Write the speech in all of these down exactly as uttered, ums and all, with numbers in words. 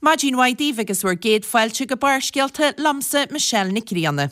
Maidin mhaith daoibh agus bhur gcéad fáilte go Barrscéalta liomsa Michelle Nic Grianna.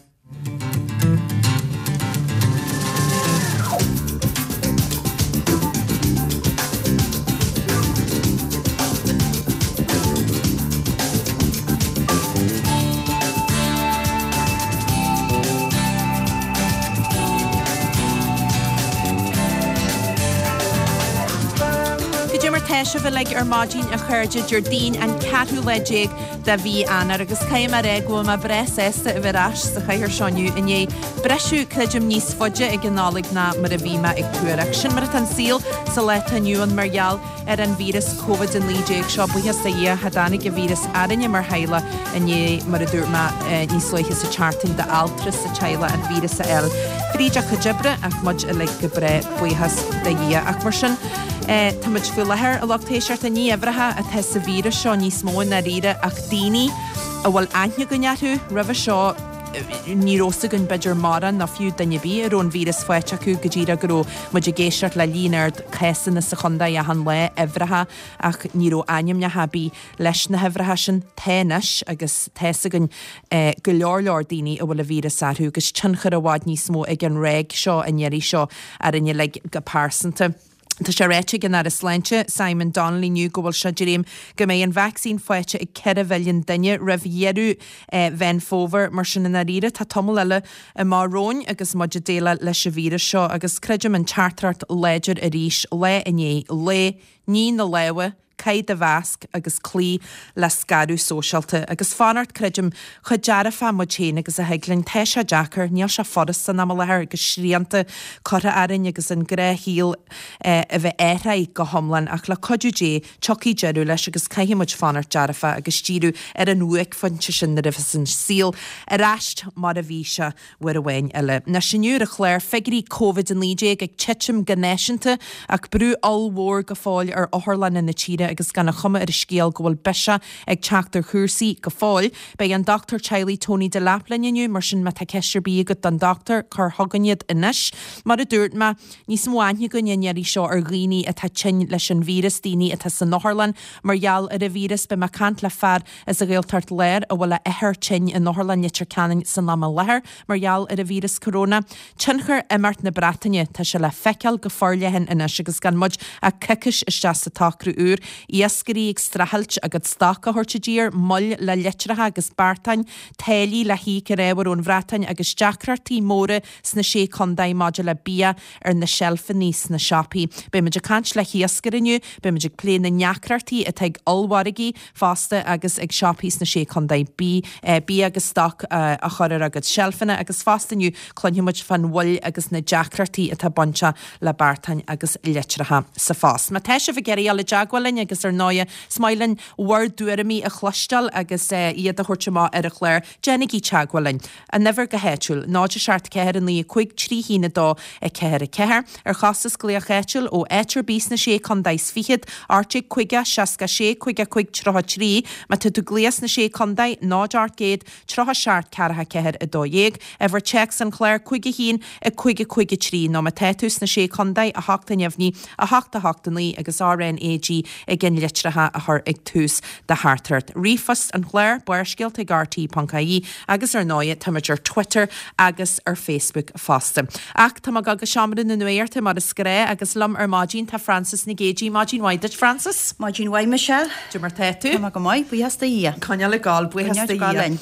Goidé mar tá sibh uilig ar maidin a chairde Déardaoin an ceathrú lá déag de mhí Eanáir agus caithfidh mé a rá go bhfuil mé breá sásta a bheith ar ais sa chathaoir seo inniu i ndiaidh briseadh creidim níos faide ag an Nollaig ná mar a bhí mé ag tuar ach sin mar atá an saol sa lá atá inniu ann mar gheall ar an víreas Covid a naoi déag seo. Buíochas do Dhia, cha dtáinig an víreas orainne mar theaghlach i ndiaidh, mar a dúirt mé níos luaithe sa tseachtain, d'altra sa teaghlach an víreas a fháil fríd a chuid oibre ach muid uilig go breá, buíochas do Dhia. Ach mar sin, tá muid faoi láthair, a lucht éisteachta, ní uimhreacha atá sa víreas seo níos mó i ndáiríre ach daoine a bhfuil aithne againn orthu roimhe seo, ní raibh fhios againn b'fhéidir mórán nó fiú duine ar bith a raibh an víreas faighte acu go díreach go raibh muid ag éisteacht le líon ard cásanna sa chontae achan lá, uimhreacha, ach ní raibh ainmneacha ar bith leis na huimhreacha sin. Tá anois agus tá fhios againn go leor leor daoine a bhfuil an víreas orthu agus tionchar i bhfad níos mó ag an ráig seo an iarraidh seo orainn uilig go pearsanta. Tá sé ráite ag an Aire Sláinte, Simon Donnelly inniu go bhfuil sé ag dréim go mbeidh an vacsaín faighte ag ceithre mhilliún duine roimh dheireadh Mheán Fómhair. Mar sin, i ndáiríre, tá tamall eile amach romhainn agus muid ag déileáil leis an víreas seo agus creidim an teachtaireacht láidir arís lá i ndiaidh lae, nigh na lámha, Caith do mhasc agus cloígh le scaradh sóisialta. Agus fanacht, creidim, chomh dearfach muid féin agus a thig linn. Tá sé deacair, níl sé furast san am i láthair agus srianta curtha orainn agus an gnáthshaol a bheith athraithe go hiomlán ach le cuidiú Dé tiocfaidh deireadh leis agus caithfidh muid fanacht dearfach agus díriú ar an bhuaicphointe sin nuair a bheas an saol ar ais mar a bhí sé. Uair amháin eile. Anois inniu ar an chlár, figiúirí Covid a naoi déag ag titim go náisiúnta ach brú ollmhór go fóill ar otharlanna na tíre agus gan an chuma ar an scéal go bhfuil biseach ag teacht ar chúrsaí go fóill. Beidh an dochtúir teaghlaigh Tony Delap linn inniu, mar sin má tá ceist ar bith agat don dochtúir, cuir chugainn iad anois. Mar a dúirt mé, níos mó aithne againn an iarraidh seo ar dhaoine atá tinn leis an víreas, daoine atá san otharlann mar gheall ar an víreas. Beidh mé ag caint le fear as an Ghaeltacht Láir a bhfuil a athair tinn in Otharlann Leitir Ceanainn san am i láthair mar gheall ar an víreas coróna. Tionchar imeacht na Breataine, tá sé le feiceáil go forleathan anois agus gan muid ach coicís isteach sa tsocrú úr. Iascairí ag streachailt a gcuid stoc a thabhairt i dtír, moill le litreacha agus beartáin, táillí le híoc ar ábhair ón Bhreatain agus deacrachtaí móra sna Sé Contae maidir le bia ar na seilfeanna sna siopaí. Beidh muid ag caint le hiascaire inniu, beidh muid ag plé na ndeacrachtaí atá ag ollmhargaí fosta agus ag siopaí sna Sé Contae bia agus stoc a chur ar a gcuid seilfeanna agus fosta inniu cluinfidh muid fán mhoill agus na deacrachtaí atá bainteach le beartáin agus litreacha sa phost. Má tá sibh ag iarraidh dul i dteagmháil linn agus ar ndóighe is maith linn bhur dtuairimí a chloisteáil agus iad a thabhairt amach ar an chlár, déanaigí teagmháil linn. An uimhir go háitiúil, náid a seacht ceathair a naoi a cúig trí haon a dó a ceathair a ceathair. Ar chostas glaoch áitiúil ó áit ar bith sna Sé Contae is Fichead, ocht déag caoga, seasca sé, caoga cúig, tríocha trí. Má tá tú ag glaoch sna Sé Contae, náid ocht gcéad, tríocha seacht, ceathracha ceathair, a dó dhéag. Uimhir téacs an chláir, cúig a haon, a cúig a cúig a trí. Nó má tá tú sna Sé Contae, a hocht a neamhní, a hocht a hocht a naoi agus R N A G ag an litreacha a chur ag tús do theachtaireacht. Ríomhphost an chláir, Barrscéalta ag R T ponc I E agus ar ndóighe táimid ar Twitter agus ar Facebook fosta. Ach tá mé ag dul go seomra na nuachta mar is gnáth agus liom ar maidin tá Frances Nic Géadaigh. Maidin mhaith duit Frances. Maidin mhaith Michelle. Cad é mar tá tú? Tá mé go maith, buíochas do Dhia. Coinneáil ag gabháil, buíochas do Dhia.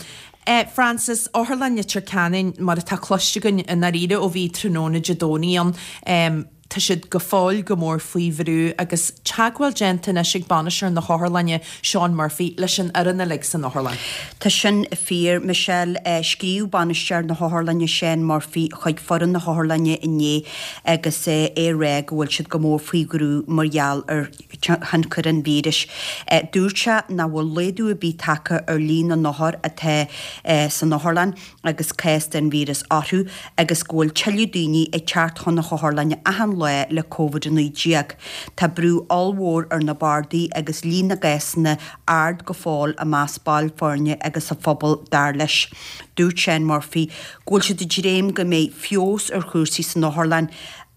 Eh Frances, Otharlann Leitir Ceanainn mar atá cloiste againn i ndáiríre ó bhí tráthnóna Dé Domhnaigh ann, em tá siad go fóill go mór faoi bhrú agus teagmháil déanta anois ag bainisteoir na hotharlainne, Seán Murphy, leis an fhoireann uilig san otharlann. Tá sin fíor, Michelle. Scríobh bainisteoir na hotharlainne, Seán Murphy, chuig foireann na hotharlainne inné agus é ag rá go bhfuil siad go mór faoi bhrú mar gheall ar thionchar an víris. Dúirt sé nach bhfuil laghdú ar bith tagtha ar líon na n-othar atá san otharlann agus cás den víreas orthu agus go bhfuil tuilleadh daoine ag teacht chun na hotharlainne achan lá le Covid a naoi déag. Tá brú ollmhór ar na bardaí agus líon na gcásanna ard go fóill i measc baill foirne agus sa phobal, dar leis. Dúirt Seán Murphy go bhfuil siad ag dréim go mbeidh feabhas ar chúrsaí san otharlann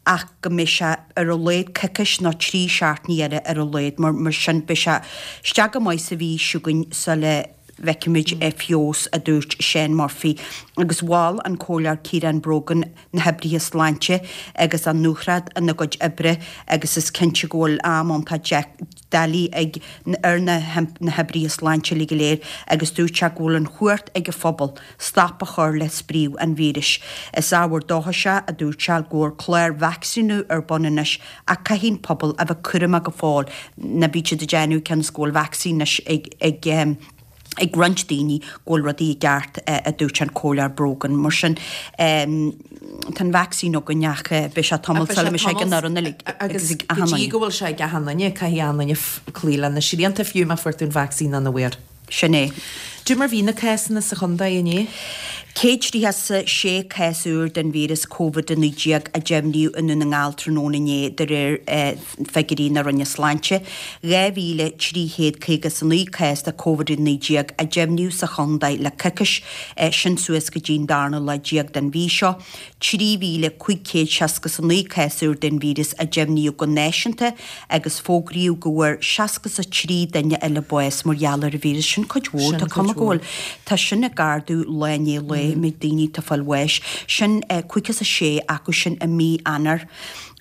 ach go mbeidh sé ar a laghad coicís nó trí seachtainí eile ar a laghad, mar mar sin beidh sé isteach go maith sa mhí seo chugainn sula bhfeicfimid feabhas, a dúirt Seán Murphy. Agus mhol an Comhairleoir Ciarán Brogan na hoibrithe sláinte agus a ndúthracht ina gcuid oibre agus is cinnte go bhfuil am iontach doiligh ag ar na hoibrithe sláinte uilig go léir agus dúirt sé go bhfuil an chumhacht ag an phobal stop a chur le spriodh an víris. Is ábhar dóchais é, a dúirt sé, go bhfuil clár vacsaíniú ar bun anois ach caithfidh an pobal a bheith cúramach go fóill. Ná bíodh siad ag déanamh cionn is go bhfuil vacsaín anois ag ag ag roinnt daoine go bhfuil rudaí i gceart, a dúirt an Comhairleoir Brogan. Mar sin, tá an vacsaín againn ach beidh sé tamall sula mbeidh sé ag an fhoireann uilig agus ag achan duine. Agus go dtí go bhfuil sé ag achan duine, caithfidh achan duine cloí le na srianta fiú má fuair tú an vacsaín nó nach bhfuair. Sin é. Cad é mar bhí na cásanna sa chontae inné? Céad tríocha 's a sé cás úr den víreas Covid a naoi déag a deimhníodh i nDún na nGall tráthnóna inné de réir figiúirí na Roinne Sláinte. dhá mhíle trí chéad caoga 's a naoi cás de Covid a naoi déag a deimhníodh sa chontae le coicís, sin suas go dtí an darna lá déag den mhí seo. trí mhíle cúig chéad seasca 's a naoi cás úr den víreas a deimhníodh go náisiúnta agus fógraíodh go bhfuair seasca 's a trí duine eile bás mar gheall ar an víreas. Sin cuid mhór. Tá cuma go bhfuil. Tá sin ag ardú lá i ndiaidh lae, méid daoine atá ag fáil bháis. Sin caoga 's a sé acu sin i mí Eanáir.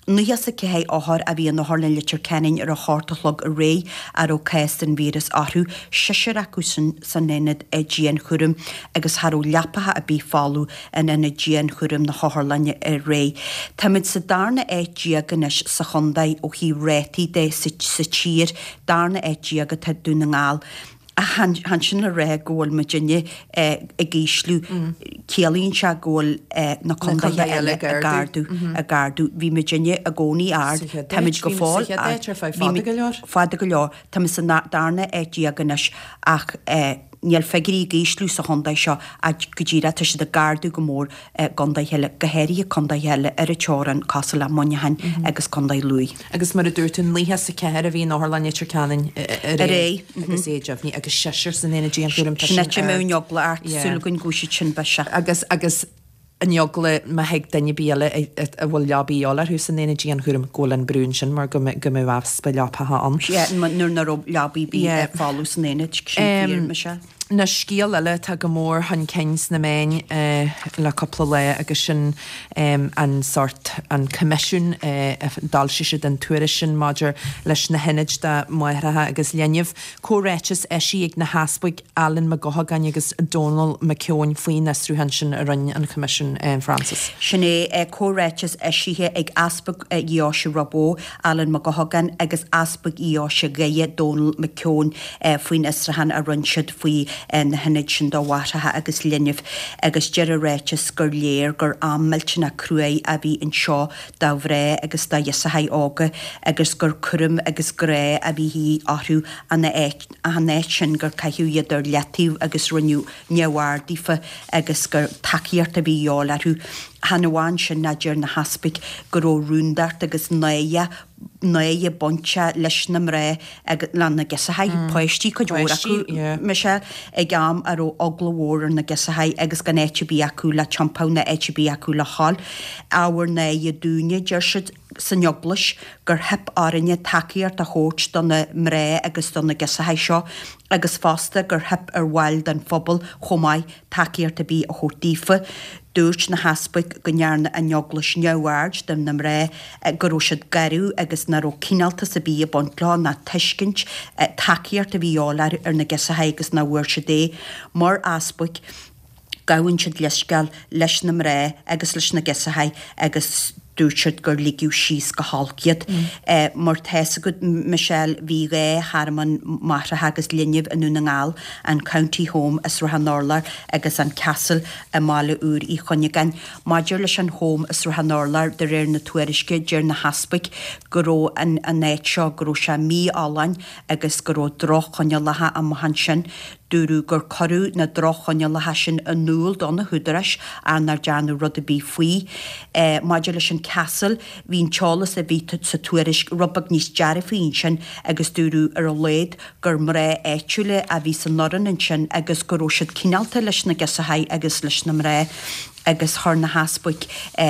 Nócha 's a ceathair othar a bhí in Otharlann Leitir Ceanainn ar a hocht a chlog aréir a raibh cás den víreas orthu, seisear acu sin san aonad dianchúraim agus cha raibh leapacha ar bith folamh in aonad dianchúraim na hotharlainne aréir. Táimid sa darna áit déag anois sa chontae ó thaobh rátaí de sa tír, darna áit déag atá Dún na nGall. Ach chan sin le rá go bhfuil muidinne ag ísliú. Ciallaíonn sé go bhfuil na contaetha eile ag ardú, ag ardú. Bhí muidinne i gcónaí ard, táimid go fóill ard. Fada go leor. Táimid sa darna áit déag anois ach níl figiúirí ag ísliú sa chontae seo ach go díreach tá siad ag ardú go mór i gcontaetha eile, go háirithe contaetha eile ar an teorainn cosúil le Muineachán agus Contae Lú. Agus mar a dúirt tú, nócha is a ceathair a bhí in Otharlann Leitir Ceanainn aréir agus é deimhnithe agus seisear san aonad dianchúraim, tá sin ard. Sin é an eagla ort, súil againn go bhfuil siad sin biseach. Agus, agus an eagla má thig duine ar bith eile a bhfuil leaba de dhíobháil orthu san aonad dianchúraim go bhfuil an brú ansin mar go mbeadh easpa leapacha ann. Yeah, nuair nach raibh leabaí ar bith folamh san aonad, sin fíor, Michelle. Anois scéal eile atá go mór chun cinn sna meáin le cúpla lá agus sin an sórt, an coimisiún a d'fhoilsigh siad an tuairisc sin maidir leis na hionaid do mháithreacha agus linbh. Comhráiteas eisithe ag na hEaspaig Alan Mac Guthagáin agus Dónal McKeown faoin fhiosrúchán sin a rinne an Coimisiún Frances. Sin é, comhráiteas eisithe ag Easpag Dheoise Ráth Bhoth, Alan Mac Guthagáin agus Easpag Dheoise Dhoire, Dónal McKeown faoin fhiosrúchán a rinne siad faoi na hionaid sin do mháithreacha agus linbh agus deir an ráiteas gur léir gur am millteanach cruaidh a bhí anseo do mhná agus do ghirseachaí óga agus gur cúram agus grá a bhí de dhíth orthu ach in áit sin gur caitheadh iad ar leataobh agus rinneadh neamhaird díofa agus gur tacaíocht a bhí de dhíobháil orthu. Chan amháin sin ach deir na heaspaig go raibh rúndacht agus náire náire bainteach leis na mná agus le na girseachaí, páistí cuid mhór acu, Michelle, ag am a raibh eagla mhór ar na girseachaí agus gan áit ar bith acu le tiompú ná áit ar bith acu le dhul. Ábhar náire dúinne, deir siad san Eaglais, gur theip orainne tacaíocht a thabhairt do na mná agus do na girseachaí seo agus fosta gur theip ar bhaill den phobal chomh maith tacaíocht ar bith a thabhairt daofa. Dúirt na heaspaig go ndearna an Eaglais neamhaird de na mná, go raibh siad garbh agus nach raibh cineáltas ar bith ag baint leo ná tuiscint, tacaíocht a bhí de dhíobháil ar na girseachaí agus nach bhfuair siad é. Mar easpaig, gabhann siad leithscéal leis na mná agus leis na girseachaí agus dúirt siad gur ligeadh síos go holc iad. Mar tá 'fhios agat, Michelle, bhí dhá thearmann máithreacha agus linbh i nDún na nGall, an County Home i Srath an Urláir agus an Castle i mBaile Úr Uí Chuinneagáin. Maidir leis an Home i Srath an Urláir, de réir na tuairisce, deir na heaspaig go raibh an an áit seo, go raibh sé mífholláin agus go raibh droch-choinníollacha amuigh ansin. Dúradh gur cuireadh na droch-choinníollacha sin in iúl do na húdaráis ach nár dearnadh rud ar bith faoi. Maidir leis an Castle, bhí an t-eolas a bhí sa tuairisc rud beag níos dearfaí ansin agus dúradh ar a laghad gur mná áitiúla a bhí san fhoireann ansin agus go raibh siad cineálta leis na girseachaí agus leis na mná agus chuir na heaspaig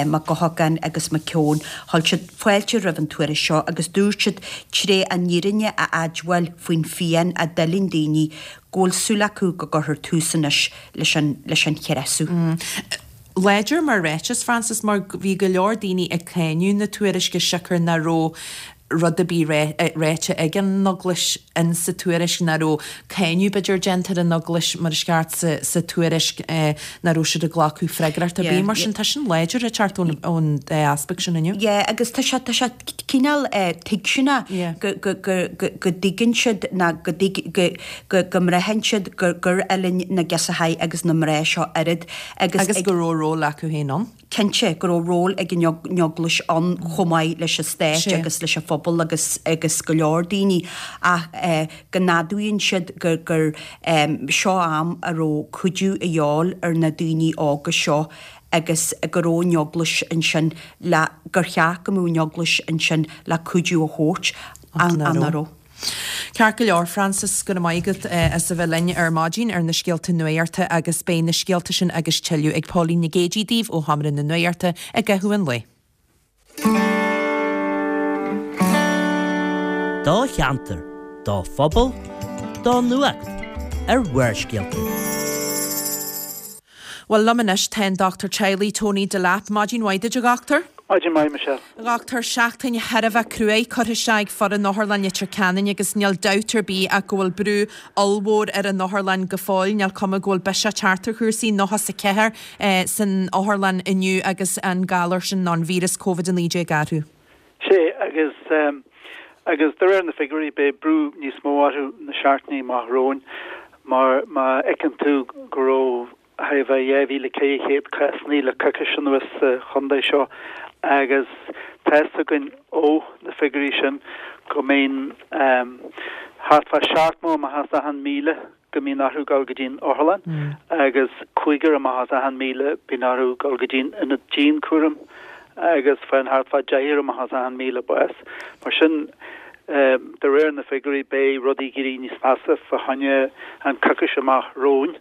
Mac Eochagáin agus Mac Keown, chuir siad fáilte roimh an tuairisc seo agus dúirt siad tré an fhírinne a admháil faoin phian a d'fhuiling daoine go bhfuil súil acu go gcuirfear tús anois leis an leis an chreasadh. Láidir mar ráiteas, Frances, mar bhí go leor daoine ag cáineadh na tuairisce siocair nach raibh rud ar bith ráite ag an Eaglais in sa tuairisc, nach raibh cáineadh b'fhéidir déanta ar an Eaglais mar is ceart sa sa tuairisc, nach raibh siad ag glacadh freagracht ar bith. Mar sin tá sin láidir ag teacht ón ón dá easpag sin inniu. Yeah, agus tá sé tá sé cineál tuigseanach go go go go go dtuigeann siad ná go dtuig go go go mbraitheann siad gur gur fhuiling na girseachaí agus na mná seo oiread agus Agus go raibh ról acu féin ann. Cinnte go raibh ról ag an Eaglais ann chomh maith leis an stát agus leis an phobal agus agus go leor daoine ach go n-admhaíonn siad gur gur seo am a raibh cuidiú a dhíobháil ar na daoine óga seo agus go raibh an Eaglais ansin le gur cheart go mbeadh an Eaglais ansin le cuidiú a thabhairt ach nach raibh. Ceart go leor, Frances, go raibh maith agat as a bheith linn ar maidin ar na scéalta nuachta agus beidh na scéalta sin agus tuilleadh ag Póilín Nic Géidigh daoibh ó Sheomra na Nuachta i gcaitheamh an lae. Do cheantar, do phobal, do nuacht ar Bharrscéalta. Bhuel, liom anois tá an Dochtúir Teaghlaigh Tony Delap. Maidin mhaith duit, a dhochtúir. Maidin mhaith, Michelle. A dhochtúir, seachtain thar a bheith cruaidh curtha isteach ag foireann Otharlann Leitir Ceanainn agus níl dabht ar bith ach go bhfuil brú ollmhór ar an otharlann go fóill. Níl cuma go bhfuil biseach ag teacht ar chúrsaí, nócha is a ceathair san otharlann inniu agus an galar sin nó an víreas Covid a naoi déag orthu. Sea, agus agus de réir na figiúirí beidh brú níos mó orthu na seachtainí amach romhainn mar má fheiceann tú go raibh thart fá dhá mhíle ceithre chéad cásanna le coicís anuas sa chontae seo agus tá fhios againn ó na figiúirí sin go mbíonn thart fá seacht amach as achan míle go mbíonn orthu dul go dtí'n otharlann agus cúigear amach as achan míle bíonn orthu dul go dtí'n ionad dianchúraim agus faigheann thart fá deichniúr amach as achan míle bás. Mar sin, de réir na figiúirí beidh rudaí ag éirí níos measa fá choinne an coicís amach romhainn.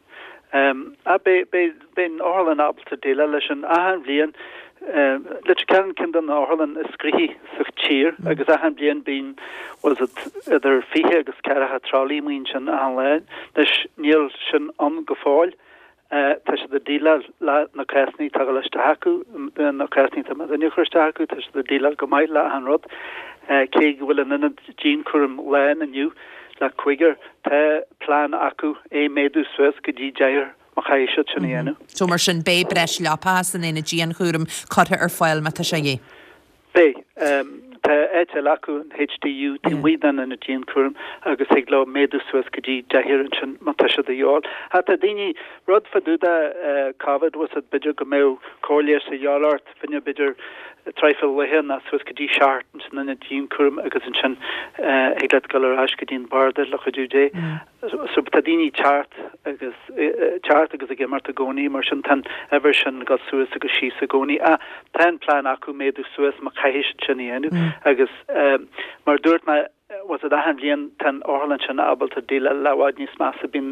Ach beidh, beidh, beidh an otharlann ábalta déileáil leis sin achan bhliain. Leitir Ceanainn ceann de na otharlann is gnoithí sa tír agus achan bhliain bíonn, bhfuil fhios agat, idir fiche agus ceathracha tralaí amuigh ansin achan lá. Anois níl sin ann go fóill. Tá siad ag déileáil le na cásanna atá ag dul isteach acu, na cásanna atá muidinne a chur isteach acu, tá siad ag déileáil go maith le achan rud. Cé go bhfuil an ionad dianchúraim lán inniu le cúigear, tá plean acu é méadú suas go dtí deichniúr má chaithfidh siad sin a dhéanamh. So mar sin, beidh breis leapacha san aonad dianchúraim curtha ar fáil má tá sé de dhíth. Beidh. Tá áit eile acu, an HDU, taobh amuigh den ionad dianchúraim agus thig leo méadú suas go dtí deichniúr ansin má tá sé de dhíobháil. Ach tá daoine, rud fá dtaobh de Covid, bhfuil fhios agat, b'fhéidir go mbeadh cóir leighis a dhíobháil ort, fá choinne b'fhéidir traidhfil laetha nó suas go dtí seachtain san ionad dianchúraim agus ansin thig leat dul ar ais go dtí an barda le cuidiú Dé. So tá daoine ag teacht agus teacht agus ag imeacht i gcónaí, mar sin tá an uimhir sin ag dul suas agus síos i gcónaí. Ach tá an plean acu méadú suas má chaithfidh siad sin a dhéanamh agus mar a dúirt mé, bhfuil fhios agat achan bhliain tá an otharlann sin ábalta déileáil le i bhfad níos measa. Bíonn,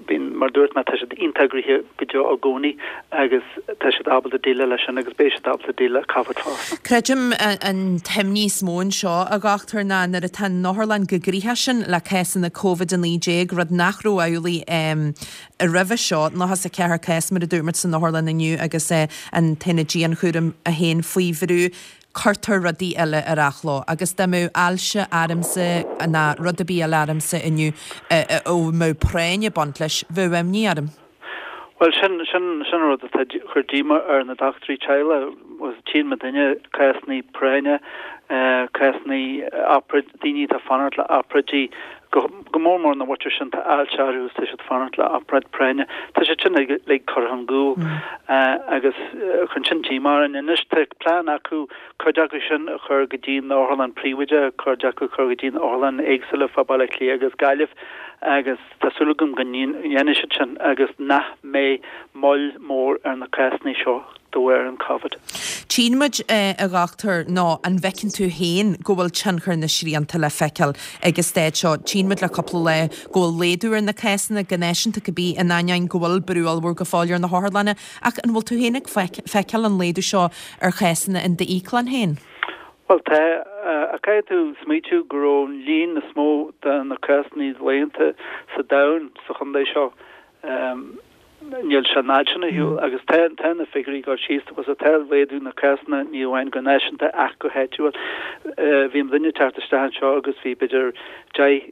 bíonn, mar a dúirt mé, tá siad iontach gnoitheach go deo i gcónaí agus tá siad ábalta déileáil leis sin agus beidh siad ábalta déileáil le Covid fosta. Creidim an t-imní is mó anseo, a dhochtúir, ná nuair atá an otharlann chomh gnoitheach sin le cásanna Covid a naoi déag, rud nach raibh amhlaidh roimhe seo, nócha is a ceathair cás mar a dúirt muid san otharlann inniu agus an t-aonad dianchúraim é féin faoi bhrú, cuirtear rudaí eile ar athló agus dá mbeadh ailse ormsa ná rud ar bith eile ormsa inniu a mbeadh práinn ag baint leis, bheadh imní orm. Bhuel, sin, sin, sin an rud atá ag cur díomá ar na dochtúirí teaghlaigh. Tchíonn muidinne cásanna práinne, cásanna obráid, daoine atá ag fanacht le obráidí Go go mór mór na mhuintir sin tá ailse orthu is tá siad fanacht le obráid práinne. Tá siad sin uilig curtha chun gcúil agus chun sin díomá orainn. Anois tá plean acu cuid acu sin a chur go dtí na otharlann príobháideach, cuid acu a chur go dtí na otharlann éagsúla fá Baile Átha Cliath agus Gaillimh agus tá súil agam go ndéanfaidh siad sin agus nach mbeidh moill mhór ar na cásanna seo de bharr an Covid. Tchíonn muid, a dhochtúir, nó an bhfeiceann tú féin go bhfuil tionchar na srianta le feiceáil ag an staid seo? Tchíonn muid le cúpla lá go bhfuil laghdú ar na cásanna go náisiúnta cibé, in ainneoin go bhfuil brú ollmhór go fóill ar na hotharlanna, ach an bhfuil tú féin ag feiceáil an laghdú seo ar chásanna in d'íoclann féin? Bhuel tá, ach caithfidh tú smaoitiú go raibh an líon is mó de na cásanna laethanta sa domhan sa chontae seo. Níl sé an fhad sin ar shiúl agus tá tá na figiúirí ag dul síos agus tá laghdú na cásanna ní amháin go náisiúnta ach go háitiúil. Bhí an duine ag teacht isteach anseo agus bhí b'fhéidir deich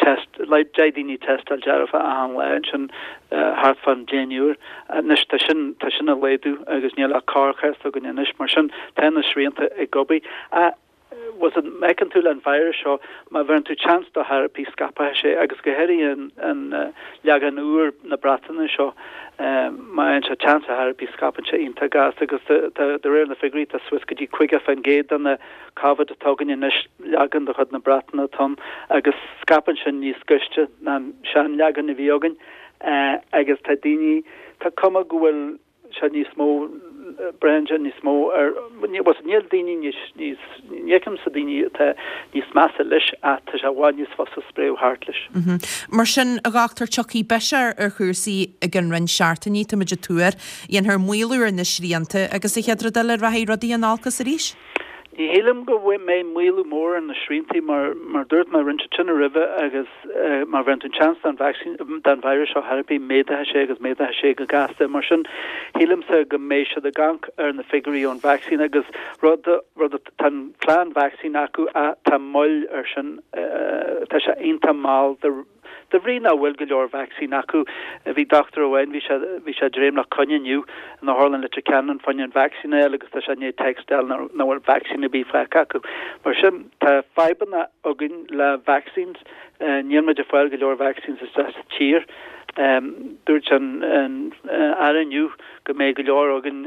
test deich daoine tástáil dearfa achan lá ansin thart fán deichniúr. Anois tá sin tá sin ag laghdú agus níl ach corrchás againn anois mar sin tá na srianta ag obair. Bhfuil fhios a'd, má fheiceann tú le an virus seo, má bheireann tú chance dó thar bith scaipfidh sé agus go háirithe an an leagan úr na Breataine seo, má fhaigheann sé chance thar bith scaipeann sé iontach gasta agus tá de réir na figiúirí tá suas go dtí caoga faoin gcéad de na Covid atá againn anois leagan de chuid na Breataine atá ann agus scaipeann sin níos gaiste ná an seanleagan a bhí againn agus tá daoine, tá cuma go bhfuil sé níos mó braitheann sé níos mó ar níl daoine níos níos ní fheicimse daoine atá níos measa leis ach tá sé i bhfad níos fusa spréadh thart leis. Mar sin, a dhochtúir, tiocfaidh biseach ar chúrsaí i gcionn roinnt seachtainí, táimid ag tuar, dhéanfar maolú ar na srianta agus an chéad rud eile rachaidh rudaí in olcas arís? Ní shílim go mbeidh maolú mór ar na sriantaí mar mar dúirt mé rinne siad sin roimhe agus má bheireann tú chance don vacsaín don virus seo thar bith méadaithe sé agus méadaithe sé go gasta. Mar sin shílimse go mbeidh siad ag amharc ar na figiúirí ón vacsaín agus rud rud tá an plean vacsaín acu ach tá moill ar sin tá sé iontach mall de De bhrí nach bhfuil go leor vacsaín acu, bhí dochtúir amháin, bhí sé, bhí sé ag dréim le coinne inniu in Otharlann Leitir Ceanainn fá choinne an vacsaín a fháil agus tá sé i ndiaidh text a fháil nach bhfuil vacsaín ar bith fágtha acu. Mar sin, tá fadhbanna againn le vaccines, níl muid ag fáil go leor vaccines isteach sa tír. Dúirt an Aire inniu go mbeidh go leor againn,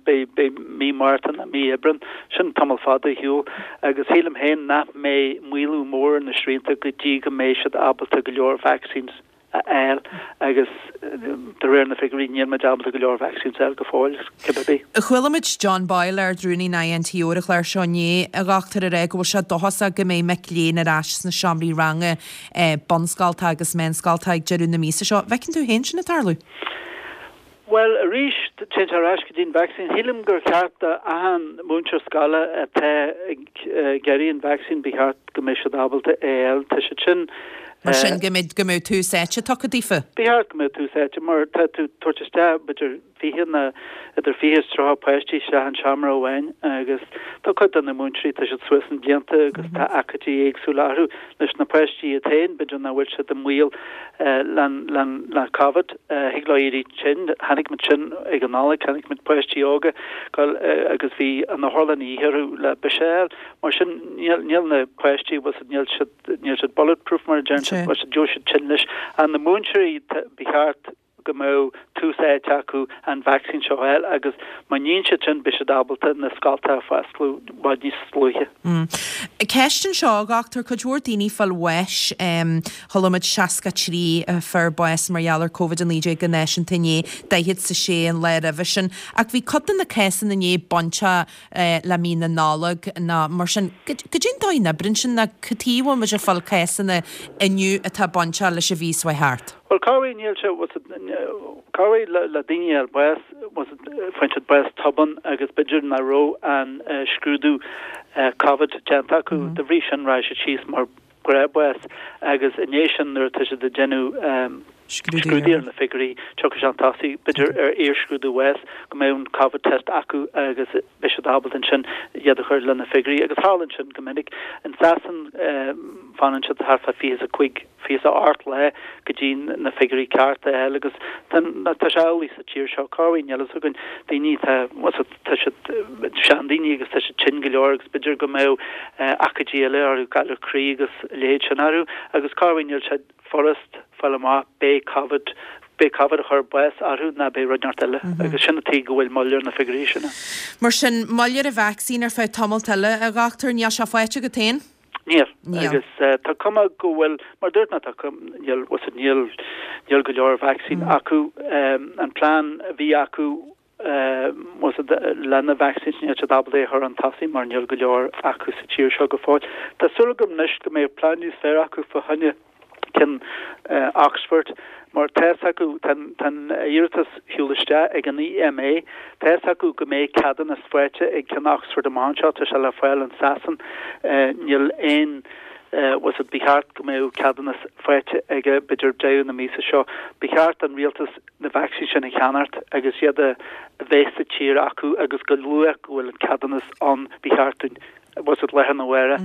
beidh, beidh mí Márta nó mí Aibreán, sin tamall fada ar shiúl, agus sílim féin nach mbeidh maolú mór ar na srianta go dtí go mbeidh siad ábalta go leor vaccines a fháil agus de réir na figiúirí níl muid ábalta go leor vaccines a fháil go fóill, cibé bith. Chuala muid John Boyle, Ard-Rúnaí na INTO ar an chlár seo inné, a dhochtúir, ag rá go bhfuil sé dóchasach go mbeidh mic léinn ar ais sna seomraí ranga bunscolta agus meánscolta ag deireadh na míosa seo. Bhfeiceann tú féin sin ag tarlú? Bhuel, arís, téann sé ar ais go dtí an vacsaín. Shílim gur cheart do achan múinteoir scoile atá ag iarraidh an vacsaín, ba cheart go mbeadh siad ábalta é a fháil. Tá siad sin. Mar sin, go mbeidh, go mbeadh tús áite tugtha daofa? Ba cheart go mbeadh tús áite, mar tá tú ag tabhairt isteach b'fhéidir fiche nó idir fiche is tríocha páistí isteach in seomra amháin agus tá cuid de na múinteoirí, tá siad suas sna blianta agus tá achaidí éagsúla orthu. Leis na páistí iad féin, b'fhéidir nach bhfuil siad i mbaol le Covid. Thig leo éirí tinn. Chonaic muid sin ag an Nollaig, chonaic muid páistí óga agus bhí an otharlann a dhíth orthu le biseach a fháil. Mar sin, níl na páistí, bhfuil siad, níl siad, níl siad bulletproof mar a deireann siad, bhfuil siad, gheobhaidh siad tinn leis. Ach na múinteoirí, ba cheart go mbeadh tús áite acu an vacsaín seo a fháil agus má níonn siad sin beidh siad ábalta na scolta a foscladh i bhfad níos luaithe. Ceist anseo, a dhochtúir, cuid mhór daoine ag fáil bháis, chuala muid seasca trí a fuair bás mar gheall ar Covid a naoi déag go náisiúnta inné, daichead 's a sé an lá roimhe sin, ach bhí cuid de na cásanna inné bainteach le mí na Nollag nó mar sin. Goidé an dóigh a n-oibríonn sin nó cad chuige a bhfuil muid ag fáil cásanna inniu atá bainteach leis an mhí seo thart? Bhuel, corruair níl sé, corruair le le daoine a fháil bás, faigheann siad bás tobann agus b'fhéidir nach raibh an scrúdú Covid déanta acu, de bhrí sin rachaidh siad síos mar ghnáthbhás agus i ndiaidh sin nuair atá siad ag déanamh. scrúdú ar na figiúirí, tiocfaidh sé chun tosaigh, b'fhéidir ar iar-scrúdú bháis, go mbeidh an Covid test acu agus beidh siad ábalta ansin iad a chur le na figiúirí. Agus tarlaíonn sin go minic. In Sasain fanann siad thart fá fiche is a cúig, fiche is a ocht lá go dtí na figiúirí cearta a fháil agus tá sé amhlaidh sa tír seo. Cá bhfuil, níl a fhios againn, daoine atá, tá siad seandaoine agus tá siad tinn go leor agus b'fhéidir go mbeadh aicídí eile orthu, galar croí agus a leithéid sin orthu agus cá bhfuil, níl sé furast fáil amach, b'é Covid, b'é Covid a chuir bás orthu ná b'é rud inteacht eile agus sin an tuige go bhfuil moill ar na figiúirí sin. Mar sin, moill ar an vacsaín ar feadh tamalt eile, a dhochtúir, níl sé faighte agat féin? Níl. Agus tá cuma go bhfuil, mar a dúirt mé, tá cuma, níl, níl, níl go leor vacsaín acu. An plean a bhí acu le na vacsaíns, níl siad ábalta é a chur chun tosaigh mar níl go leor acu sa tír seo go fóill. Tá súil agam anois go mbeidh plean níos fearr acu fá choinne ceann Oxford mar tá fhios acu, tá an iarratas shiúl isteach ag an EMA, tá fhios acu go mbeidh ceadúnas faighte ag ceann Oxford amach anseo, tá sé le fáil in Sasain, níl aon, bhfuil fhios agat, ba cheart go mbeadh ceadúnas faighte aige b'fhéidir deireadh na míosa seo. Ba cheart don rialtas na vacsaíní sin a cheannacht agus iad a bheith sa tír acu agus go luath go bhfuil an ceadúnas ann ba cheart dúinn bhfuil fhios agat lá arna mhárach